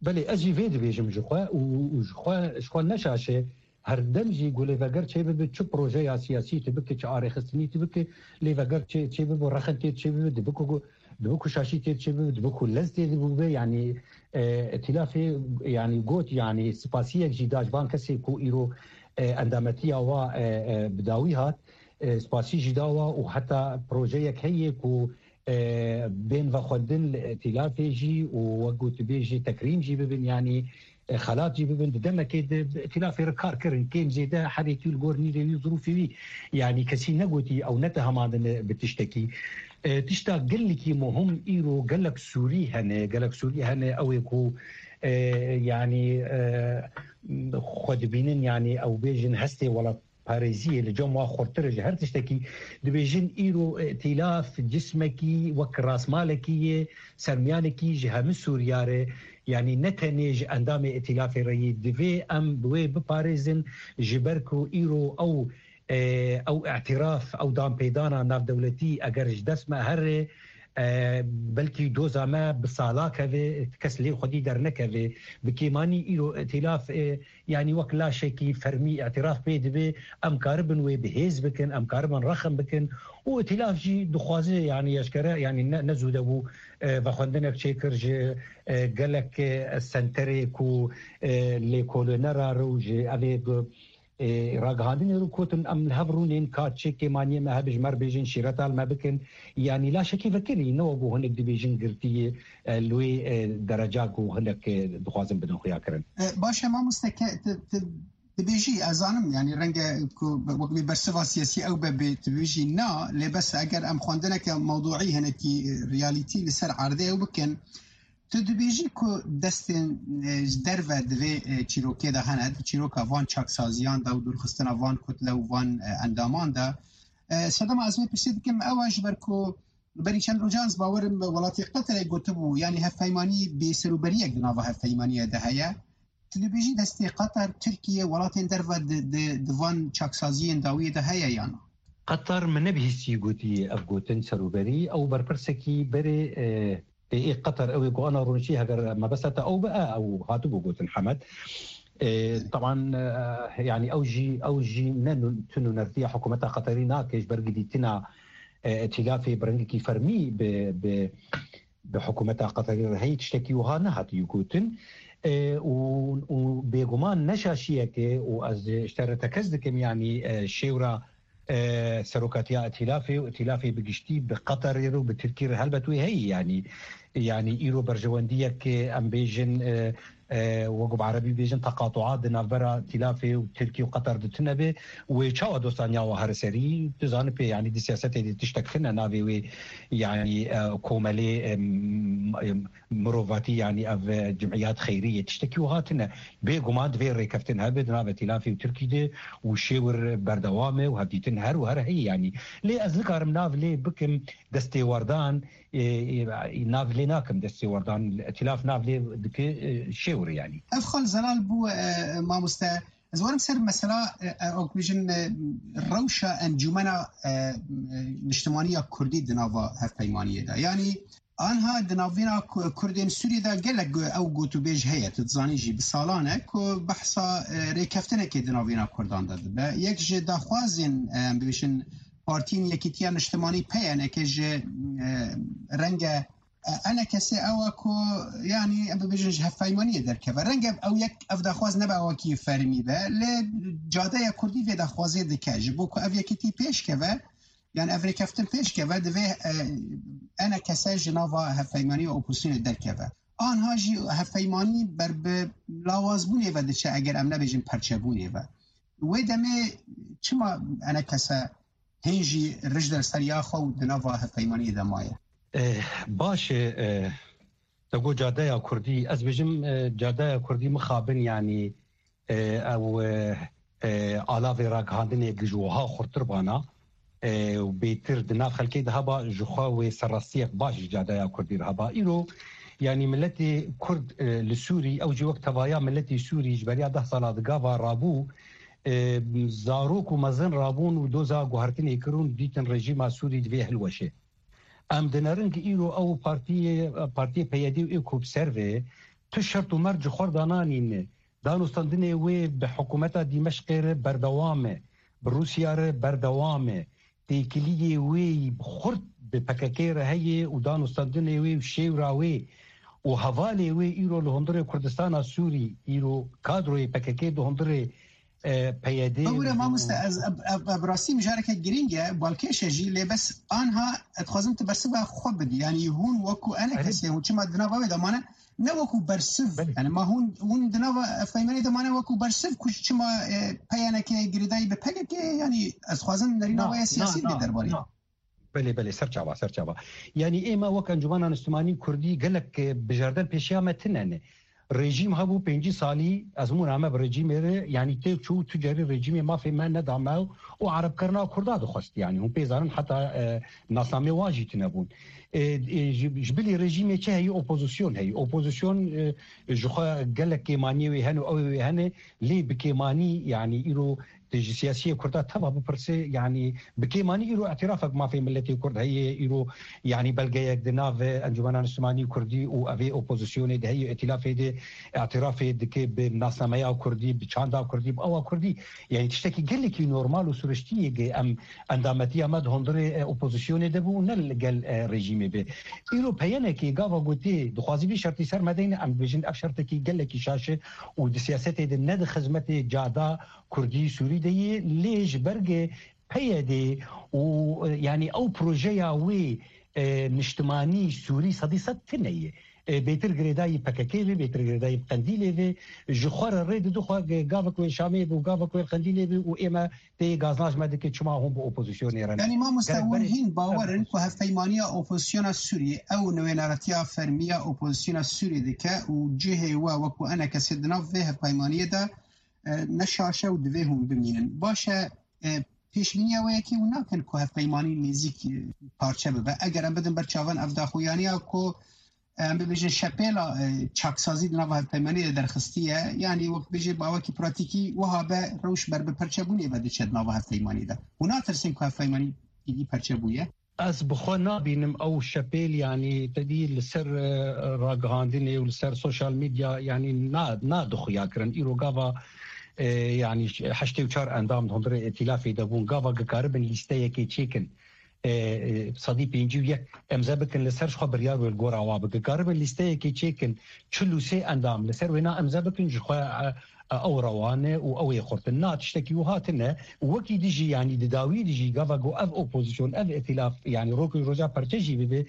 Belê, ez jî vê dibêjim ji xwe û, û ji xwe, ji xwe neşaşe her dem jî ku lêveger çê bibe, çi projeya siyasî tu bike, çi arêxistinî tu bike, lêveger çê, çê bibe, rexin tê çê bibe, dibe ku, dibe ku şaşî tê çê bibe, dibe ku lez tê bibe, yanî, e, îtîlafê, yanî got, yanî spasiyek jî da ji van kesê ku îro, e, endametiya wa, e, e, bi dawî hat, e, spasî jî da wa û heta projeyek heye ku e, bên vexwendin li îtîlafê jî û wek gotibê jî tekrîm jî bibin, yanî, e, xelat jî bibin. Di demekê de bi îtîlafê re kar kirin, kêm zêde herêkî li gor nîrê wî, zirûfê wî, yanî kesî negotî ew netihemandine bi tiştekî. E, tişta gelekî muhim îro gelek Sûrî hene, gelek Sûrî hene, ew ê ku, e, yanî, e, xwe dibînin, yanî ew bêjin hestê welat parêziyê li cem wa xurtir e ji her tiştekî. Dibêjin îro îtîlaf cismekî wek rasmalekî ye, sermiyanekî ji hemî Sûriya re, yanî ne tenê ji endamê îtîlafê re yê. Divê em bi wê biparêzin, ji ber ku îro ew, e, ew îtiraf, ew danpêdana navdewletî eger ji dest me here, e, belkî doza me bi sala keve, kes lê xwedî dernekeve. Bi kêmanî îro îtîlaf, e, yanî wek laşekî fermî îtiraf pê dibe, em karibin wê bi hêz bikin, em karibin rexim bikin û îtîlaf jî dixwaze, yanî eşkere, yanî ne, ne zû de bû, e, vexwendinek çêkir ji, e, gelek, e, senterê ku, e, lêkolînera re û ji evê bi, e, ragihandinê re gotin, em li hev rûnên ka çi kêmaniyê me hebe ji me re bêjin, şîreta li me bikin. Yanî laşekî vekirî, ne wek ku hinek dibêjin girtiyê, e, li wê, e, dereca ku hinek, e, dixwazin bidin xuyakirin. E, baş e, mamoste, ke-, tu, tu dibêjî, ez zanim, yanî renge ku be-, wek bê bersiva siyasî ew be, bê tu bêjî na, lê bes eger em xwendineke mewduî hinekî, e, realîtî li ser erdê ew bikin, tu dibêjî ku destên, e, ji derve di vê, e, çîrokê de hene, di çîroka van çaksaziyan de û dûrxistina van kutle û van, e, endaman de. E, sedema ez vê pirsê dikim ew e, ji ber ku berî çend rojan ez bawerim welatê Qeterê gotibû, yanî hevpeymanî bêserûberiyek di nava hevpeymaniyê de heye. Tu dibêjî destê Qeter, Tirkiye, welatên derve di, di, di van çaksaziyên dawiyê de heye yan na? Qeter min nebihîstî gotiye ev gotin serûberî. Ew berpirsekî berê, e, ê, ê Qeter, ew ê ku ana rûniştî, heger mebesta te ew be, e, ew hatibû gotin Hemed. E, teban, e, yanî ew jî, ew jî ne nû-, tu nûnertiya hikûmeta Qeterî nake, ji ber gidîtina, e, îtîlafê bi rengekî fermî bi, bi, bi hikûmeta Qeterî re heyî tiştekî wiha nehatiye gotin. E, û, û bêguman ne şaşiyek e û ez ji te re tekez dikim, yanî, e, şêwra, e, serokatiya îtîlafê û îtîlafê bi giştî bi Qeterê re û bi Tirkî re helbet wê heyî, yanî, yanî îro berjewendiyek, e, em bêjin, e, e, wek bi erebî bêjin teqatuat di navbera Tîlafê û Tirkî û Qeter de tune be, wê çawa dostaniya we here serî? Tu zanî pê, yanî di siyasetê de tiştek tune navê wê, yanî, e, komelê, e, m-, e, mirovatî, yanî ev, e, cimiyat xeyrî yê tiştekî wiha tune. Bêguman divê rêkeftin hebe di navê Tîlafê û Tirkî de û şêwir berdewam e û hevdîtin her û her heye yanî. Lê ez nikarim nav lê bikim destêwerdan, e, e, nav lê nakim destêwerdan, Tîlaf nav lê dike, e, şêwir yanî. Ev xal zelal bû, e, mamoste. Ez werim ser mesela, e, e, wek bêjin, e, rewşa encûmena, e, e, niştimanî ya Kurdî di nava hevpeymaniyê de. Yanî anha di navîna Ku-, Kurdên Sûriyê de gelek gu-, ew gotûbêj heye, tu dizanî jî bi salan e ku behsa, e, rêkeftinekê di navîna Kurdan de dibe. Yek ji daxwazên, e, em bibêjin Partiyên Yekîtiya Niştimanî P Y N K ji, e, renge, e, enekesê ew e ku, yanî, em bibêjin ji hevpeymaniyê derkeve. Renge ew yek, ev daxwaz nebe wekî fermî be, lê cadeya Kurdî vê daxwazê dike. Ji bo ku ev yekîtî pêş keve, yanî ev rêkeftin pêş keve, divê, e, enekese ji nava hevpeymanî û opozisyonê derkeve. Anha jî hevpeymanî ber bi lawazbûnê ve diçe, eger em nebêjin perçebûnê ve. Wê demê çima enekese hên jî rij der ser ya xwe û di nava hevpeymaniyê de maye? Eh, baş e, eh, te got cadeya Kurdî. Ez bêjim, eh, cadeya Kurdî mixabin, yanî, eh, ew, eh, eh, alavê ragihandinê ji wiha xurtir bana, eh, û bêtir di nav xelkê de heba, ji xwe wê serrastiyek baş ji cadeya Kurdî re heba. Îro, yanî miletê Kurd, eh, li Sûrî, ew jî wek tevaya miletê Sûrî ji beriya deh sala di gava rabû, eh, zarok û mezin rabûn û doza guhertinê kirin û dîtin rejîma Sûrî divê hilweşe. Em dinerin ku îro ew partiyê, partiyê P Y D û ê ku bi ser ve tu şert û merc ji xwe dananîne, danûstandinê wê bi hikûmeta Dîmeşqê re berdewam e, bi Rûsya re berdewam e, têkiliyê wê xurt bi P K K re heye û danûstandinê wê û şêwra wê û hevalê wê îro li hundirê Kurdistana Sûrî, îro kadroyê P K K di hundirê, e, P Y D. Bibûre mamoste, ez, ev, ev, ev rastî mijareke girîng e, balkêş e jî, lê bes anha ez dixwazim tu bersiva xwe bidî. Yanî hûn wekû enekesê hûn çima di nava wê de mane, ne wekû bersiv. Belê. Yanî ma hûn, hûn di nava hevpeymaniyê de mane wekû bersiv ku çima, e, P Y N K girêdayî bi P K K ye? Yanî ez dixwazim nerîna we ya siyasî bidî derbarê. Belê, belê, serçava, serçava. Yanî ê me wek Encûmena Niştimanî Kurdî gelek, e, bijardel pêşiya me tune ne. Rejîm hebû pêncî salî, ezmûna me bi rejîmê re, yanî têk çû, tu carî rejîmê mafê me neda me û erebkirina Kurda dixwest. Yanî hûn pê zanin heta, e, nasnameyê wan jî tune bûn. E, e, ji, ji bilî rejîmê çi heye? Opozîsyon heye. Opozîsyon, e, ji xwe gelek kêmaniyê wê hene û ew ê wê hene, lê bi kêmanî, yanî îro tu ji siyasiyê Kurda teva bipirse, yanî bi kêmanî îro îtirafek mafê miletê Kurd heye, îro, yanî belgeyek di nav Encûmena Niştimanî Kurdî û evê opozîsyonê de heye, îtîlafê de îtirafê dike bi nasnameya Kurdî, bi çanda Kurdî, bi awa Kurdî. Yanî tiştekî gelekî normal û siriştî ye ku em endametiya me di hundirê, e, opozîsyonê de bû û ne li gel, e, rejîmê be. Îro P Y N K gava gotê dixwazî vî şertî ser me deyne, em dibêjin ev şertekî gelekî şaş e û di siyasetê de ne di xizmetê cada Kurdî Sûrî de yê, lê ji ber ge P Y D û, e, yanî ew projeya wê, e, niştimanî Sûrî sedî sed tune ye. E, bêtir girêdayî P K K ve, bêtir girêdayî Qendîlê ve, ji xwe re rê dide xwe ge gavek wê Şamê be û gavek wê Qendîlê be û ê me tê gaznaj me dike çima hûn bi opozîsyonê re ne. Yanî mamoste, gerek hûn berê hîn bawer in ku hevpeymaniya opozîsyona Sûriyê ew nivênaretiya fermî ya opozîsyona Sûriyê dike û cihê we wekû enekesê di nav vê hevpeymaniyê de, e, ne şaş e û divê hûn bimînin. Baş e, e, pêşbîniya we yekê hûn nakin ku hevpeymanî nêzîk, e, parçe bibe? Eger em bidin ber çavan ev daxuyaniya ku, e, em bibêjin şepêla, e, çaksazî di nava hevpeymaniyê de derxistiye, yanî wek bêjê bawekî pratîkî wiha be, rewş ber bi perçebûnê ve diçe di nava hevpeymaniyê de. Hûn natirsin ku hevpeymanî îdî perçe bûye? Ez bi xwe nabînim ew şepêl, yanî te dî li ser, e, ragihandinê û li ser sosyal medya, yanî na, nadixuya kirin. Îro gava, e, yanî heştê û çar endam di hundirê îtîlafê de bûn. Gava dikaribin lîsteyekê çêkin. E, e, sedî pêncî û yek emze bikin, li ser ji xwe biryar wê li gora wa bikin. Dikaribin lîsteyekê çêkin, çil û sê endam li ser wêna emze bikin, ji xwe, e, e, ew rewan e û ew ê xurt in. Na, tiştekî wiha tune û wekî dijî, yanî di dawî dijî gava ku ev opozîsyon, ev îtîlaf, yanî rok û roja perçe jî bibe,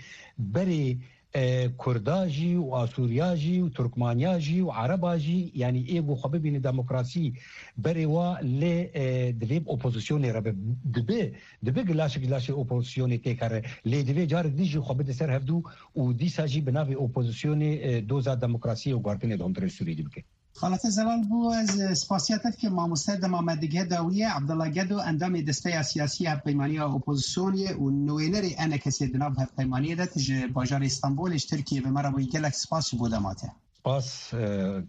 berê e, Kurda jî û Asûriya jî û Turkmaniya jî û Ereba jî, yanî ê ku xwe bibîne demokrasî berê wa lê, e, divê bi opozisyonê re be. Dibe, dibe gilaşek gilaşê opozisyonê têkere. Lê divê carek dî jî xwe bide ser hevdû û dîsa jî bi navê opozisyonê, e, doza demokrasiyê û guhertinê di hundirê Sûriyê de bike. Xalete Zelal bû, ez spasiya te dikim. Mamoste dema me dighe dawiyê, Abdullah Gedo, endamê Desteya Siyasî ya Hevpeymaniya Opozisyonê û nûênerê E N K'ê di nav hevpeymaniyê de, tu ji bajarê Stenbolê ji Tirkiyê bi me re bûyî, gelek spas ji bo dema te. Spas, e,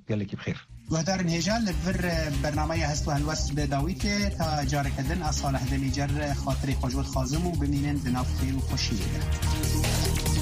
gelekî bi xêr. Guhdarên hêja, li vir, e, bernameya Hest û Helwest bi dawî tê, ta careke din, ez Salih Demîcer, e, xatirê xwe ji we dixwazim û bimînin di nav xêr û xweşiyê de.